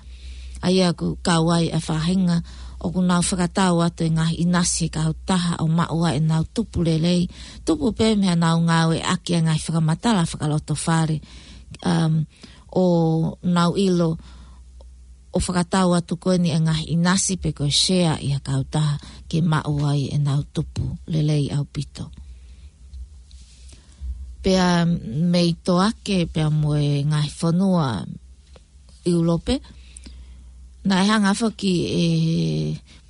ʻA ia ʻoku kau ai ʻa e faʻahinga ʻoku nau fakatau atu e ngaahi ʻinasi he kautaha ʻo maʻu ai ʻenau tupu lelei. Tupu pē mei haʻanau ngāueʻaki ʻa e ngaahi fakamatala fakalotofale, um, ʻo nau ʻilo ʻo fakatau atu ko eni e ngaahi ʻinasi pe ko e share ʻi ha kautaha ke maʻu ai ʻenau tupu lelei ʻaupito. Pea mei Toake, pea mo e ngaahi fonua ʻIulope, naʻe hanga foki ʻe he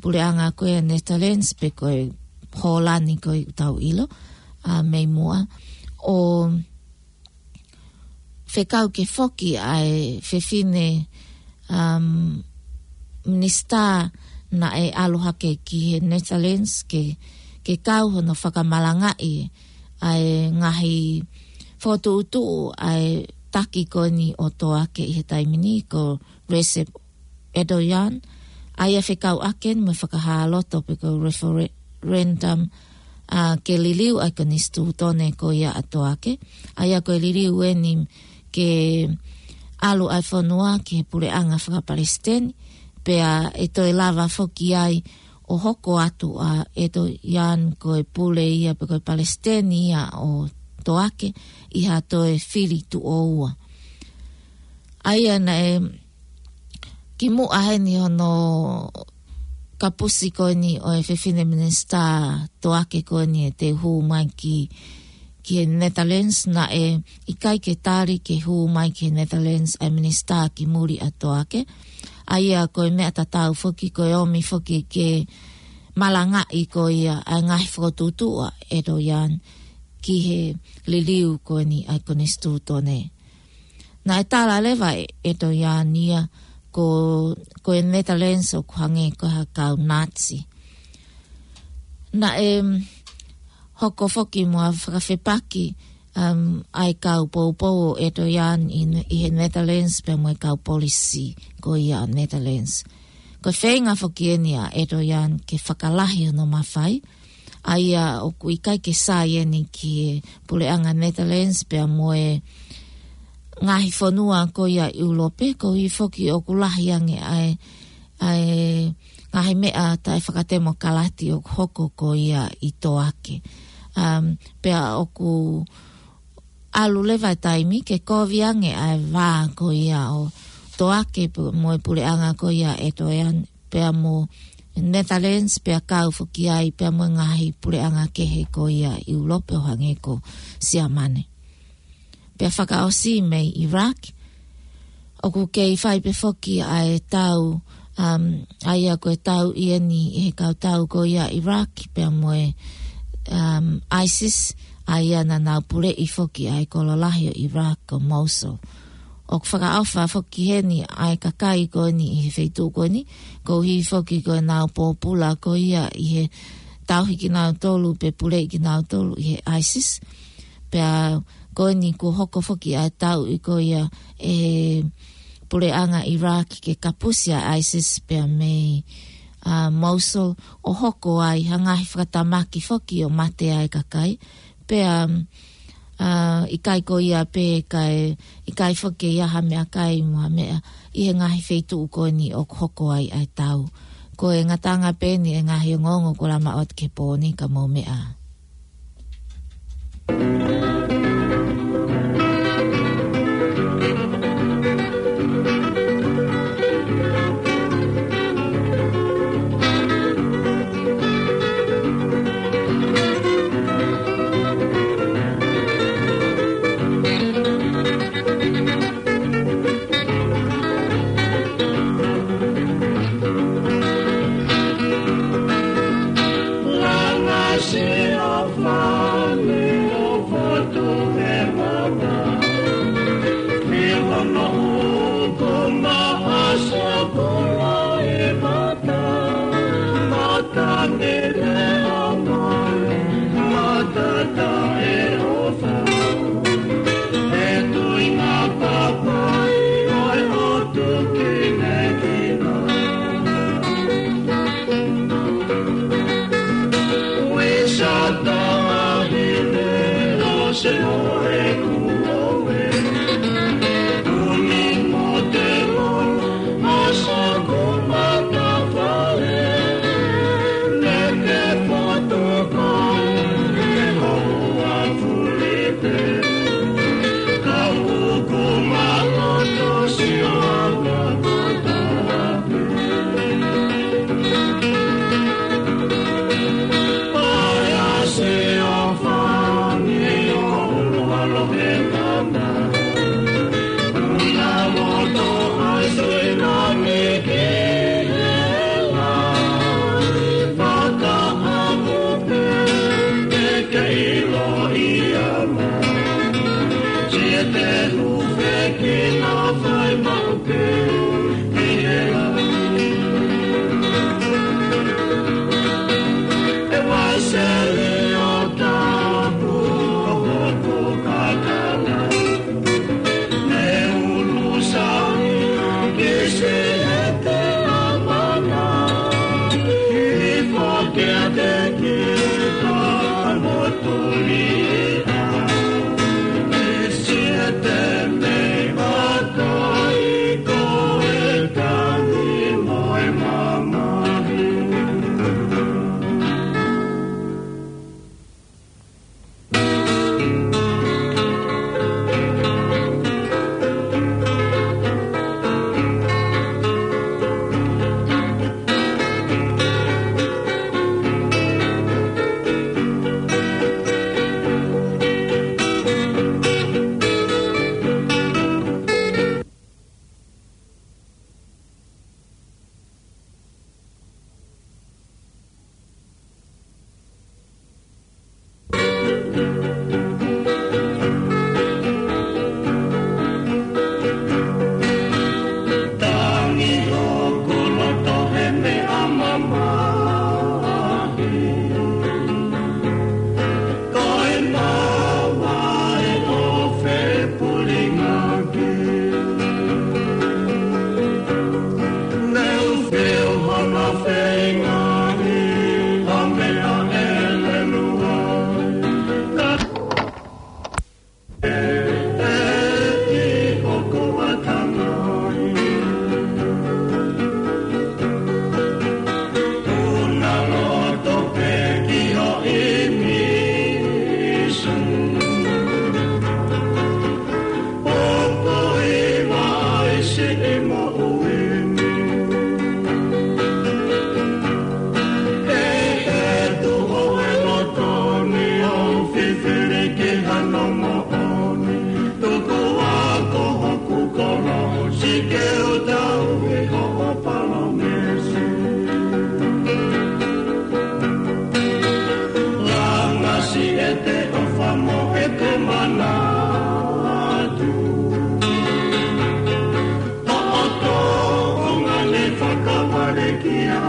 puleʻanga ko e Netherlands pe ko e Hōlani ko ē ʻoku tau ʻilo, ʻa, mei muʻa, ʻo fekau ke foki ʻa e fefine, um, minisitā naʻe ʻalu hake ki he Netherlands ke, ke kau hono fakamalangaʻi ʻa e ngaahi fokotuʻutuʻu ʻa e taki ko eni ʻo Toake ʻi he taimi ni ko Recep Erdogan, ʻa ia fekauʻaki eni mo e fakahā loto pe ko e referendum, ʻa, ke liliu ʻa e konisitūtone ko ia ʻa Toake, ʻa ia ko e liliu eni ke ʻalu ʻa e fonua ki he puleʻanga fakapalesiteni, pea ʻe toe lava foki ai ʻo hoko atu ʻa ʻEtoiani ko e pule ia pe ko e palesiteni ia ʻo Toake ʻi ha toe fili tuʻo ua. ʻA ia naʻe kimuʻa heni hono kapusi ko eni ʻo e fefine minisitā Toake ko eni ʻe te hū mai ki, ki he Netherlands, naʻe ʻikai ke tali ke hū mai ki he Netherlands ʻa e minisitā ki muli ʻa Toake. ʻA ia ko e meʻa tatau foki, ko e ʻomi foki ke malangaʻi ko ia ʻa e ngaahi fokotuʻutuʻu ʻa ʻEtoiani ki he liliu ko eni ʻa e konisitūtone. Naʻe tala leva ʻe ʻEtoiani ia ko, ko e Netherlands ʻoku hangē ko ha kau Nazi. Naʻe, mm, hoko foki mo ha fakafepaki, um, ʻa e kau poupou ʻo ʻEtoiani ʻi, ʻi he Netherlands pea mo e kau polisi ko ia ʻa Netherlands. Ko e feinga foki eni ʻa ʻEtoiani ke fakalahi hono mafai, ʻa ia ʻoku ʻikai ke sai eni ki he puleʻanga Netherlands pea mo e ngaahi fonua ko ia ʻIulope, koeʻuhi foki ʻoku lahi ange ʻa e, ʻa e ngaahi meʻa taʻefakatemokalati ʻoku hoko ko ia ʻi Toake. Um, pea ʻoku ʻalu leva e taimi ke kovi ange ʻa e vā ko ia ʻo Toake pe-, mo e puleʻanga ko ia ʻEtoiani, pea mo Netherlands, pea kau foki ai pea mo e ngaahi puleʻanga kehe ko ia ʻIulope ʻo hangē ko Siamane. Pea fakaʻosi mei Iraq, ʻoku kei fai pē foki ʻa e tau, um, ʻa ia ko e tau ʻi heni ʻi he kau tau ko ia Iraq pea mo e, um, ISIS, ʻa ia naʻa nau puleʻi foki ʻa e kolo lahi ʻo Iraq ko Mosul. ʻOku fakaʻofa foki heni ʻa e kakai ko eni ʻi he feituʻu ko eni, koeʻuhi foki ko ʻenau pōpula ko ia ʻi he tauhi kinautolu pe puleʻi kinautolu ʻe he ISIS. Pea ko eni kuo hoko foki ʻa e tauʻi ko ia ʻe he puleʻanga Iraq ke kapusi ʻa ISIS pea mei, ʻa, Mosul, ʻo hoko ai ha ngaahi fakatamaki foki ʻo mate ai kakai. Pea, ʻa, ʻikai ko ia pē kae, ʻikai foki ia ha meʻakai mo ha meʻa ʻi he ngaahi feituʻu ko eni ʻoku hoko ai ʻa e tau. Ko e ngataʻanga pē eni e ngaahi ongoongo ko lama ot ke pō ni ka mou meʻa. ʻEte ʻofa mo ʻete manatu. ʻOku tōʻonga ne fakavalekia.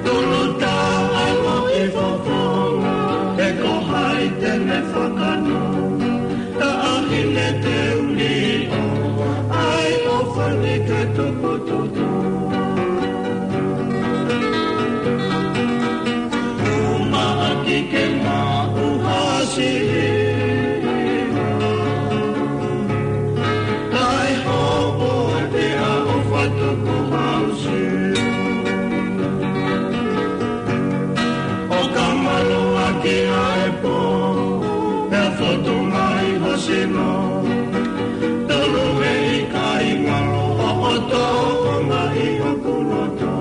Tulu taʻalo ʻi fofonga, he ko hai te ne fakano. Taʻahine te uli o, ʻai ʻofa ni ke tukutuku. Uma ʻaki ke maʻu hasi. Kae hopo te a ʻofa tuku hausi. ʻO ka malu ʻaki ʻa e pō, pea fotu mai ho sino. Tolu e ʻikai ngalo ʻo ʻoto o mai hoku loto.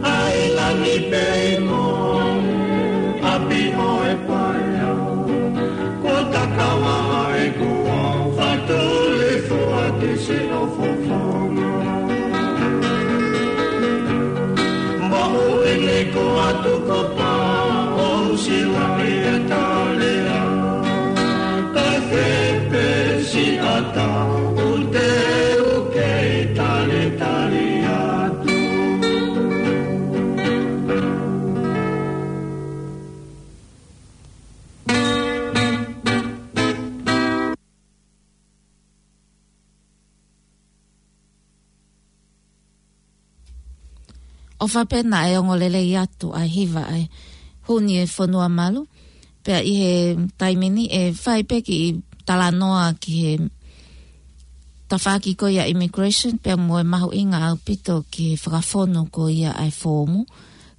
ʻAi lani pei mo ʻapi ʻo e paea. Ko takava e kua, fatuli fua ki si o fofonga. Mahu ʻene ko atu ko pa, o sila i e talea. Kai fepe si ata, u te u kei tali tali atu. ʻOfa pē naʻe ongo lelei atu ʻa e hiva ʻa e Huni e Fonua Malu. Pea ʻi he taimi ni ʻe fai pē kiʻi talanoa ki he tafaʻaki ko ia immigration, pea mo e mahuʻinga ʻaupito ki he fakafonu ko ia ʻa e foomu,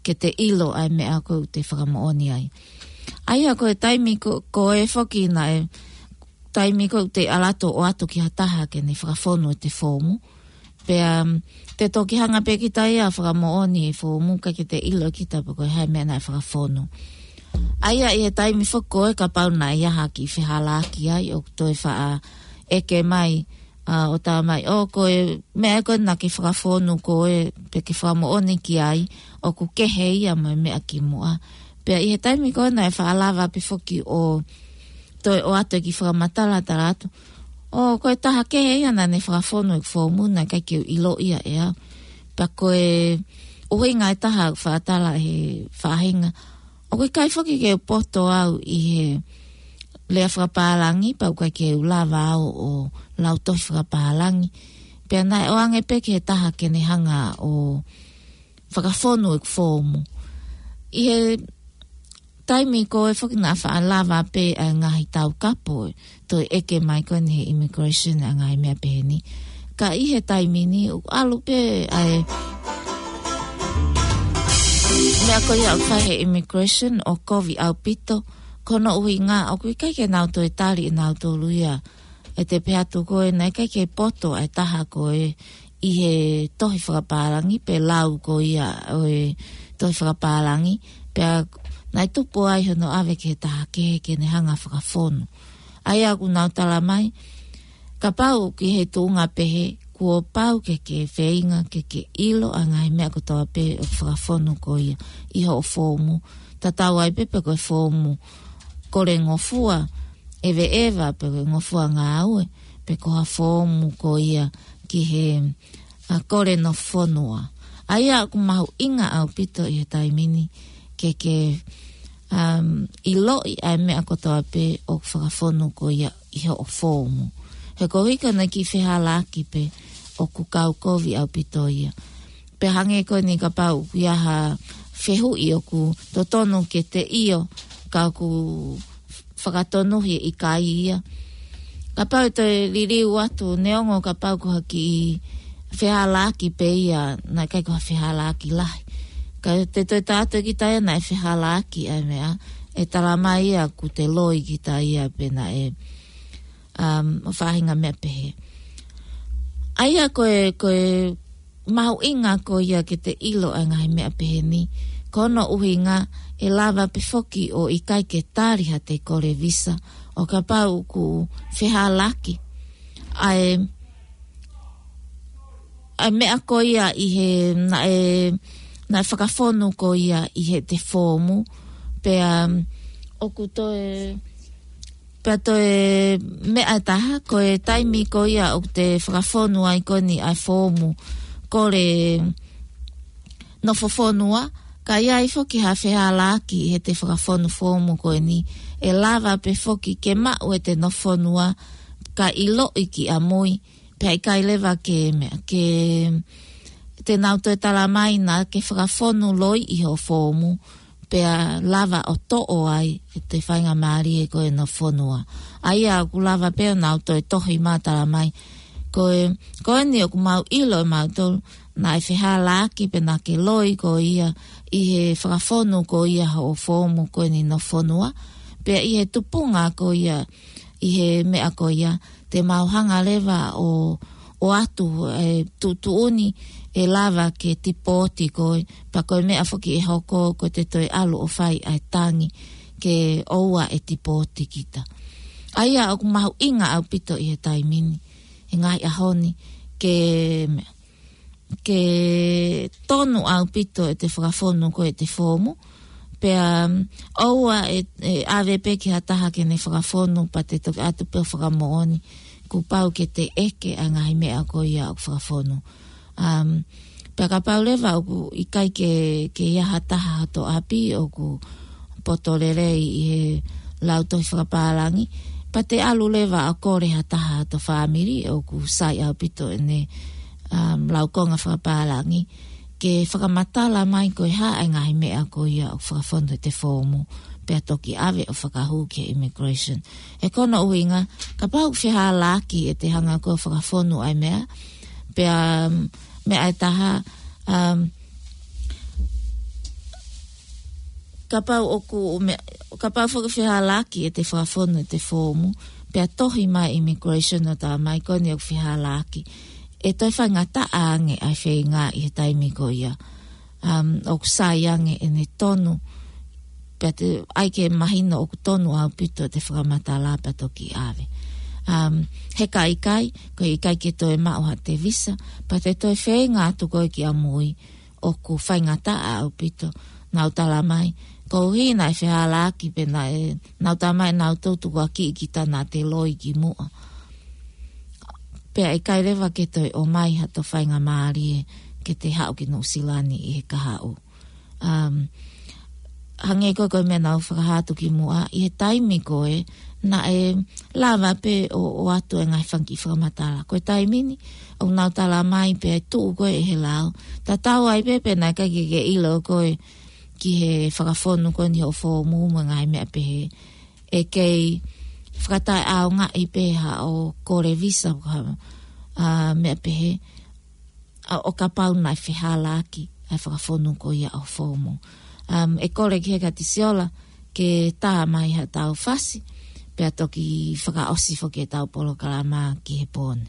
ke te ʻilo ʻa e meʻa ko ē ʻoku te fakamoʻoni ai. ʻA ia ko e taimi ko, ko ē foki naʻe, taimi ko ē ʻoku te ʻalu atu ʻo ʻoatu ki ha taha ke ne fakafonu ʻete foomu. Pea, um, te toki hanga pē kita ia ʻo fakamoʻoni e foomu kae ʻikai ke te ʻilo kita pe ko e hā e meʻa naʻe fakafonu. ʻA ia ʻi he taimi foki ko ē kapau naʻe ʻi ai ha kiʻi fehālaaki ai ʻoku toe faʻa ʻeke mai, ʻa, ʻo tā mai, ʻo ko e meʻa ko ē naʻa ke fakafonu ko ē pe ke fakamoʻoni ki ai, ʻoku kehe ia mo e meʻa kimuʻa. Pea ʻi he taimi ko ē naʻe faʻa lava pē foki ʻo toe ʻoatu e kiʻi fakamatala, tala atu, ʻo ko e taha kehe ia naʻa ne fakafonu e foomu naʻe ʻikai ke u ʻilo ia ʻe au. Pea ko e ʻuhinga ʻe taha ʻoku faʻa tala he faʻahinga, ʻoku ʻikai foki ke u poto au ʻi he lea fakapālangi, pea ʻoku ʻikai ke u lava au ʻo lau tohi fakapālangi. Pea naʻe ʻoange pē ki he taha ke ne hanga ʻo fakafonu e foomu. ʻI he taimi ko ē foki naʻa faʻa lava pē ʻa e ngaahi taukapo ʻo toe ʻeke mai ko eni he immigration ʻa e ngaahi meʻa pehē ni. Ka ʻi he taimi ni ʻoku ʻalu pē ʻa e meʻa ko ia ʻoku fai he immigration ʻo kovi ʻaupito, ko hono ʻuhinga ʻoku ʻikai ke nau toe tali ʻe nautolu ia. ʻE te pehē atu ko ē naʻe ʻikai ke poto ʻa e taha ko ē ʻi he tohi fakapālangi pe lau ko ia ʻo e tohi fakapālangi, pea naʻe tupu ai hono ʻave ki he taha kehe ke ne hanga fakafonu. ʻA ia ʻoku nau tala mai, kapau ki he tuʻunga pehē, kuo pau ke ke feinga ke ke ʻilo ʻa e ngaahi meʻa kotoa pē ʻoku fakafonu ko ia ʻi hoʻo foomu. Tatau ai pē pe ko e foomu kole ngofua ʻeveʻeva, pe ko e ngofua ngāue, pe ko ha foomu ko ia ki he, ʻa, kole nofo fonua. ʻA ia ʻoku mahuʻinga ʻaupito ʻi he taimi ni ke ke, um, ʻiloʻi ʻa e meʻa kotoa pē ʻoku fakafonu ko ia ʻi hoʻo foomu. He ko e hā ko ena kiʻi fehālaaki pē ʻoku kau kovi ʻaupito ia. Pea hangē ko eni kapau ʻoku ʻi ai ha fehuʻi ʻoku totonu ke te ʻio, ka ʻoku fakatonuhia ʻikai ia. Kapau ʻe toe liliu atu, neongo kapau ko ha kiʻi fehālaaki pē ia, naʻe ʻikai ko ha fehālaaki lahi. Ka te toe tā atu kita ia naʻe fehālaaki ʻa e meʻa, ʻe tala mai ia ʻoku te loi kita ia pe naʻe, um, faʻahinga meʻa pehē. ʻA ia ko e, ko e mahuʻinga ko ia ke te ʻilo ʻa e ngaahi meʻa pehē ni. Ko hono ʻuhinga ʻe lava pē foki ʻo ʻikai ke tali haʻate kole visa ʻo kapau ʻoku fehālaaki ʻa e, ʻa e meʻa ko ia ʻi he, naʻe, naʻe fakafonu ko ia ʻi he te foomu. Pea, um, ʻoku toe, pea toe meʻa ʻe taha, ko e taimi ko ia ʻoku te fakafonu ai ko eni ʻa e foomu, kole nofo fonua, ka ʻi ai foki ha fehālaaki ʻi he te fakafonu foomu ko eni, ʻe lava pē foki ke maʻu ʻe te nofo fonua, ka ʻiloʻi ki ʻamui, pea ʻikai leva ke meʻa, ke te nau toe tala mai naʻa ke fakafonu loi ʻi hoʻo foomu, pea lava ʻo toʻo ai ʻe te faingamālie ko e nofo fonua. ʻA ia ʻoku lava pē ʻo nau toe tohi mai tala mai. Ko e, ko eni ʻoku mau ʻilo ʻe mautolu, naʻe fehālaaki pea naʻa ke loi ko ia ʻi he fakafonu ko ia hoʻo foomu ko eni nofo fonua. Pea ʻi he tupunga ko ia, ʻi he meʻa ko ia, te mau hanga leva ʻo, ʻo ʻoatu, e, tuʻutuʻuni ʻe lava ke tipooti koe, pea ko e meʻa foki ʻe hoko ko e te toe ʻalu ʻo fai ʻa e tangi ke ʻoua ʻe tipooti kita. ʻA ia ʻoku mahuʻinga ʻaupito ʻi he taimi ni, he ngaahi ʻaho ni, ke meʻa, ke tonu ʻaupito ʻe te fakafonu ko e te foomu. Pea, um, ʻoua ʻe, ʻe ʻave pē ki ha taha ke ne fakafonu pea te toki ʻatu pē ʻo fakamoʻoni kuo pau ke te ʻeke ʻa e ngaahi meʻa ko ia ʻoku fakafonu. Um, pea kapau leva ʻoku ʻikai ke, ke ʻi ai ha taha hoto ʻapi ʻoku poto lelei ʻi he lautohi fakapālangi, pea te ʻalu leva ʻo kole ha taha hoto fāmili ʻoku sai ʻaupito ʻene, um, laukonga fakapālangi, ke fakamatala mai ko e hā ʻa e ngaahi meʻa ko ia ʻoku fakafonu ʻe te foomu, pea toki ʻave ʻo fakahū ki he immigration. He ko hono ʻuhinga, kapau ʻoku fehālaaki ʻe te hanga ko e fakafonu ʻa e meʻa, pea, um, meʻa ʻe taha, um, kapau ʻoku meʻa, kapau foki fehālaaki ʻe te fakafonu ʻe te foomu, pea tohi mai immigration ʻo tala mai ko eni ʻoku fehālaaki, ʻe toe faingataʻa ange ʻa e feinga ʻi he taimi ko ia. Um, ʻoku sai ange ʻene tonu, pea te ʻai ke mahino ʻoku tonu ʻaupito te fakamatala pea toki ʻave. Um, he ka ʻikai, ko e ʻikai ke toe maʻu ha te visa, pea te toe feinga atu koe ki ʻamui, ʻoku faingataʻa ʻaupito, nau tala mai. Koeʻuhi naʻe fehālaaki pea naʻe, nau tala mai naʻa nau tukuakiʻi kita naʻa te loi ki muʻa. Pea ʻikai leva ke toe ʻomai hato faingamālie ke te haʻu ki Nuʻusila ni ʻi he kahaʻu. Um, hangē ko e, ko e meʻa naʻa ku fakahā atu ki muʻa, ʻi he taimi ko ē, naʻe lava pē ʻo, ʻoatu e ngaahi fanga kiʻi fakamatala. Ko e taimi ni, ʻoku nau tala mai pē ʻe tuʻu koe ʻi he lao. Tatau ai pē pe naʻe ʻikai ke ke ʻilo koe ki he fakafonu ko eni hoʻo foomu mo e ngaahi meʻa pehē. ʻE kei fakataʻeʻaongaʻi pē haʻo kole visa, ha, a, meʻa pehē. ʻA, ʻo kapau naʻe fehālaaki ʻa e fakafonu ko ia hoʻo foomu. Um, ʻe kole ki he Katisiola ke tā mai haʻatau fasi, pea toki fakaʻosi foki ʻetau polokalama ki he pō ni.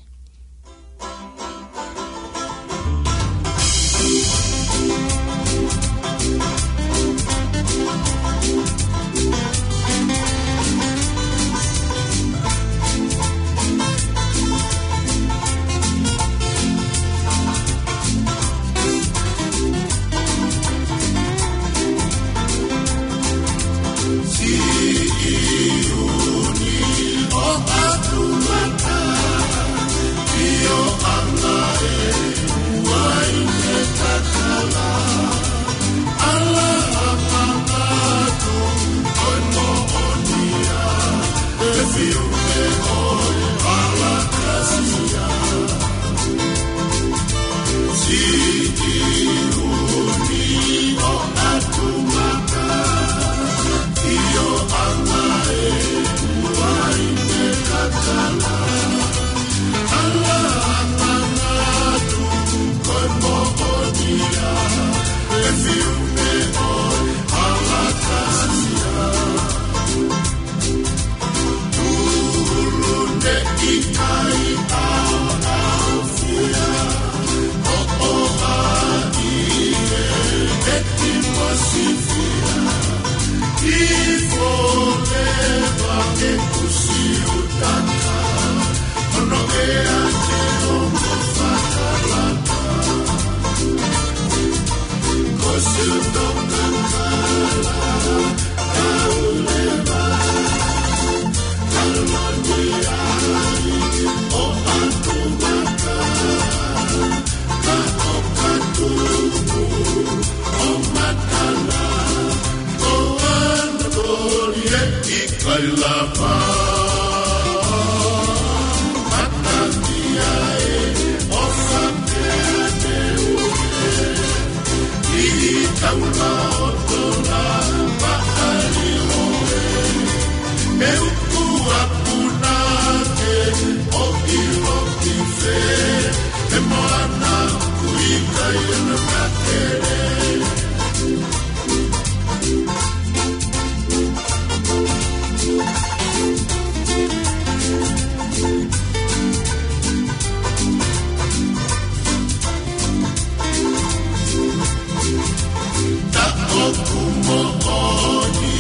Taʻoku moʻoni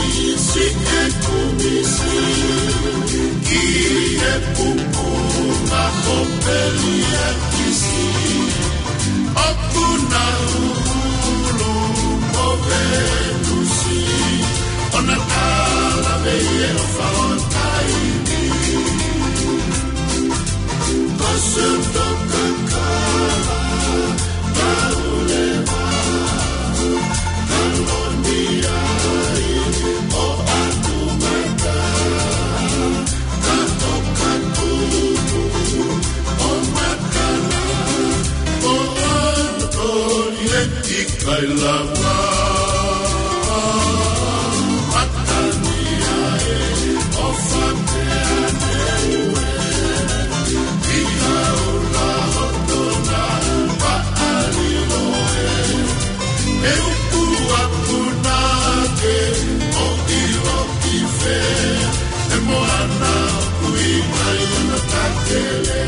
siʻeku misi ki he pupunga ʻo Peliakisi. ʻOku na ʻulu mo Venusi, ʻo na kala mei he ʻofa ʻo taimi. Ko Sutokakala, Kauleva, Kalonia, ʻo Atumata, Katoka Tupu, ʻo Makana, ʻo Anatoli, ʻe ʻikai lava. Matania ē, ʻofa pē ʻa Niue, ʻi he ʻula ʻo Tonga, Paʻalilo ē. ʻE uku aku na ke ʻo ʻilo ki fē, ʻe moana ʻoku ʻikai ʻona takele.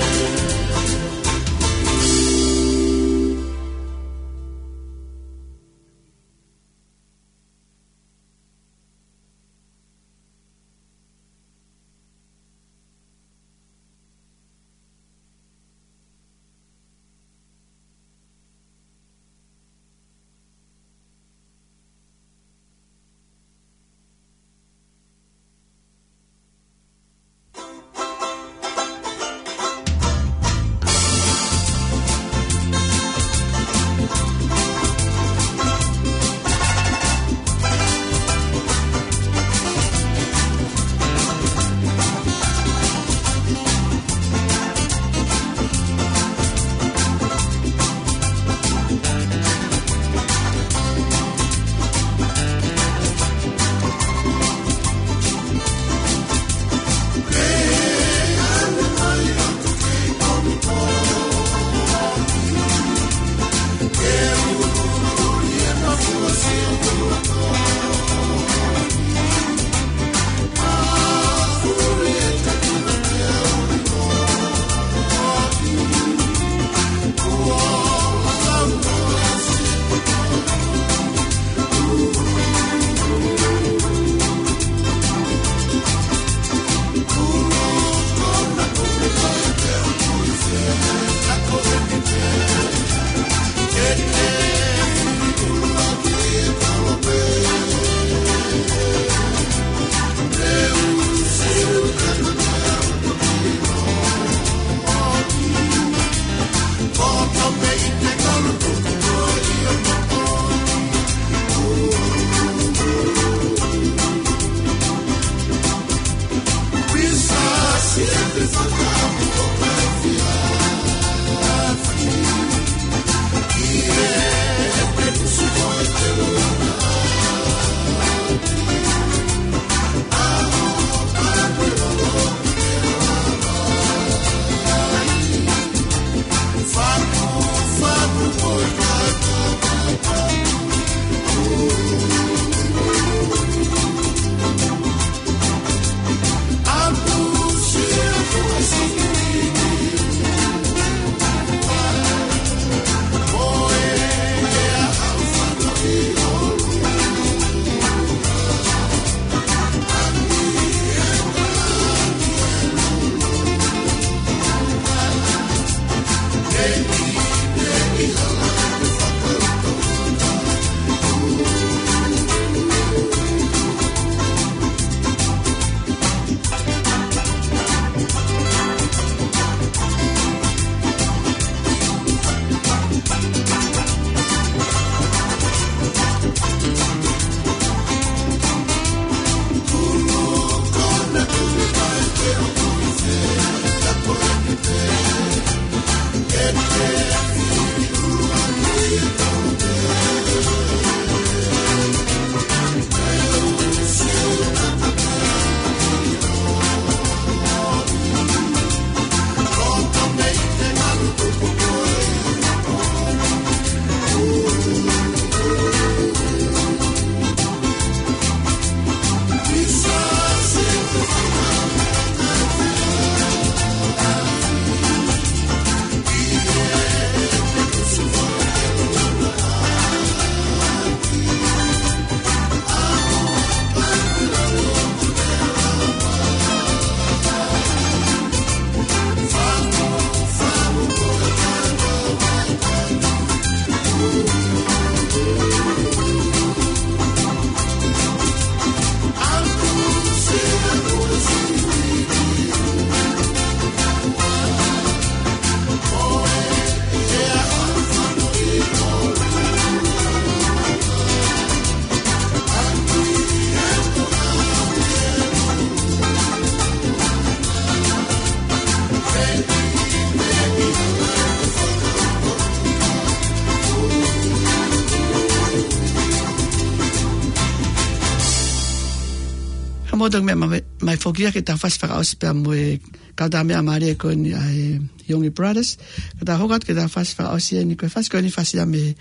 ʻOku toki meʻa mai, mai foki ia ke tau fasi fakaʻosi pea mo e kau tā meʻa mālie ko eni ʻa e Young Brothers. Ka tau hoko atu ke tau fasi fakaʻosi eni, ko e fasi ko eni fasi ia mei he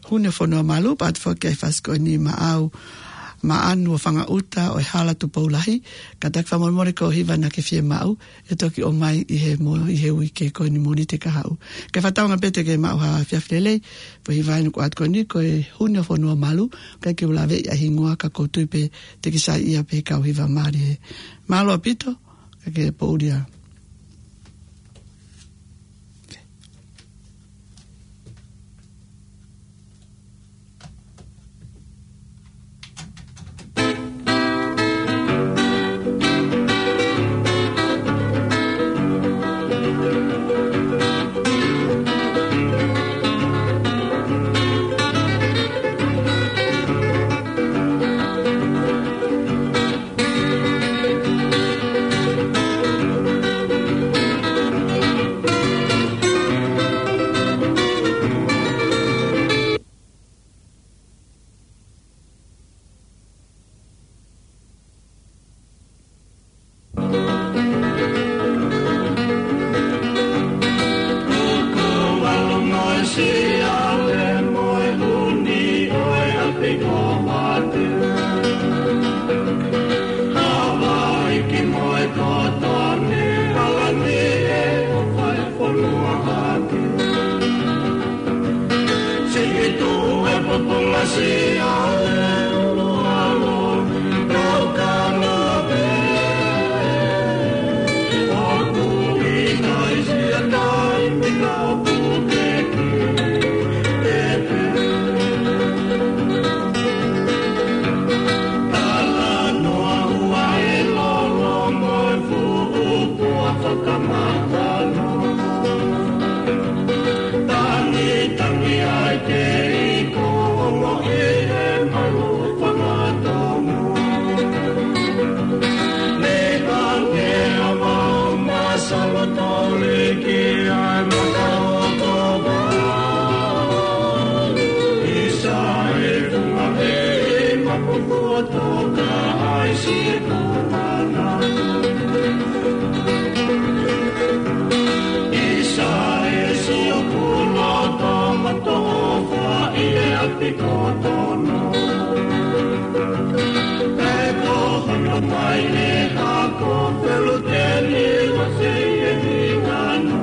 Huni ʻo Fonuamalu, pea ʻoatu foki ʻa e fasi ko eni Maʻau, Maʻanu ʻo Fangaʻuta ʻo e Hala Tupoulahi. Kātaki fakamolemole ko e hiva naʻa ke fiemaʻu, ʻe toki ʻomai ʻi he mo-, ʻi he uike ko eni Mōnite kahaʻu. Ke fakatauange pē te ke maʻu ha efiafi lelei, pea ko e hiva eni ʻoku ʻoatu ko eni ko e Huni ʻo Fonuamalu, ʻikai ke u laveʻi ʻa e hingoa ka ʻoku ou tui pē te ke saiʻia pē he kau hiva mālie. Mālō ʻaupito, ka ke poʻuli ā. Tangi, tangi ai ke iko ongo ʻi he malu fanga tōmua. Ne tangi a mau masalo tole ki ai mata o tōmua. Isa e funga e mapu kuo toka ai si e kumana. Isa e sio kuo loto matofa i e ʻapi kotono. Pe ko hono mai e hako feluteni wa se e ningano.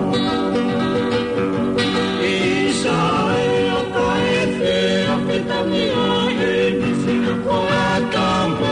Isa e o ka e fe a fetani a e nisi ko a tama.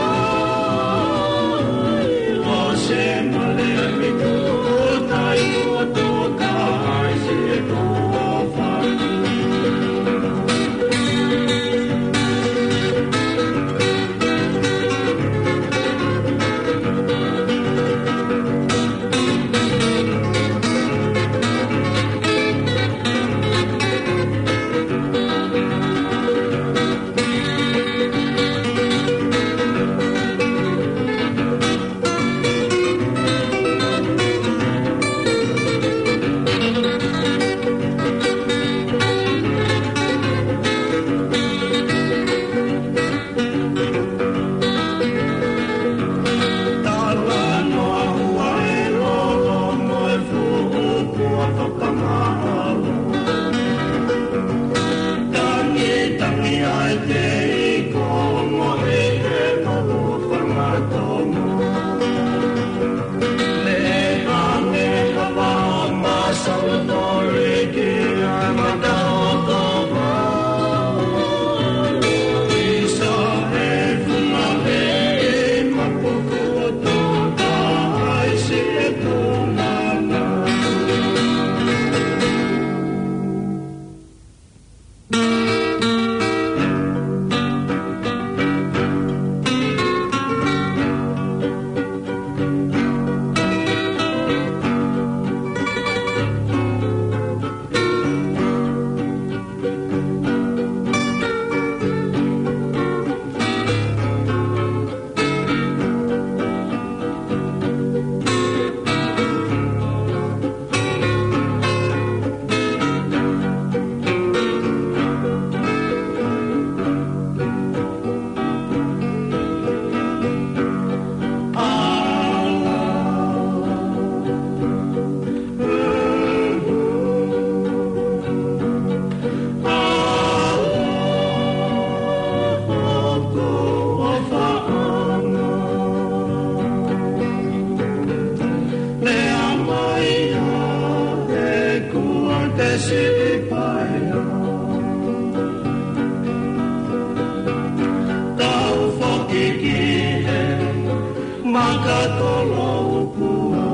Ka tolo pua.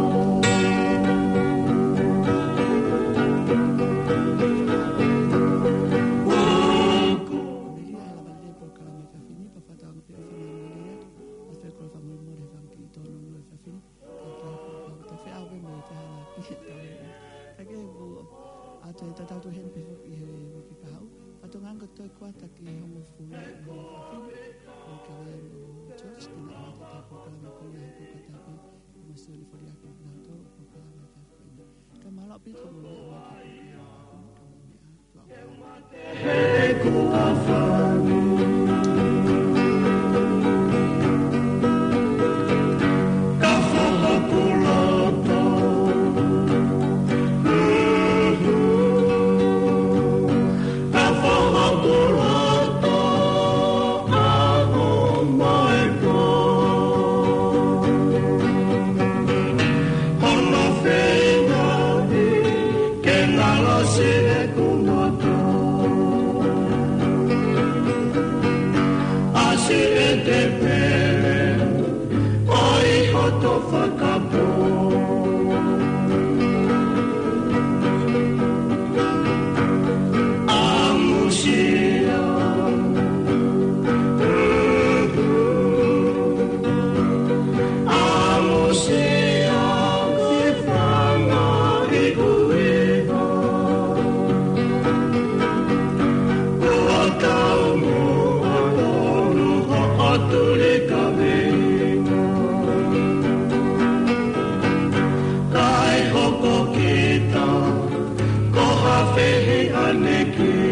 Melia ʻa e lava lelei polokalama efiafi ni, pea fakatauange pē ʻoku fakamālō ʻa e fekau fakamolemole he fanga kiʻi tōnounou efiafi ni. Ka ke pau ta feʻao pē mo e fehalaaki ʻa e tau. Ka ke pau ʻa e tatau atu heni pē foki he uike kahaʻu. Fakatokanga ko e toe kuata ki he hongofulu ʻo e efiafi ni. Ko e kaveinga ʻo George, te na ʻoatu ʻetau polokalama ko ia he kuata pē. Mo Sione Foliaki nautolu ʻo polokalama efiafi ni. Ka mālō ʻaupito mo e meʻa mai ka polokalama efiafi ni, ka mo e meʻa. Ke ngalo si e kumoto. A si e te pele, ʻo i hoto fakapō. ʻAmusia. ʻAmusia ki fanga i kuiva. Kua tau mua tonu hoʻo tuli kaveinga. Kae hoko kita ko ha fehiʻaneki.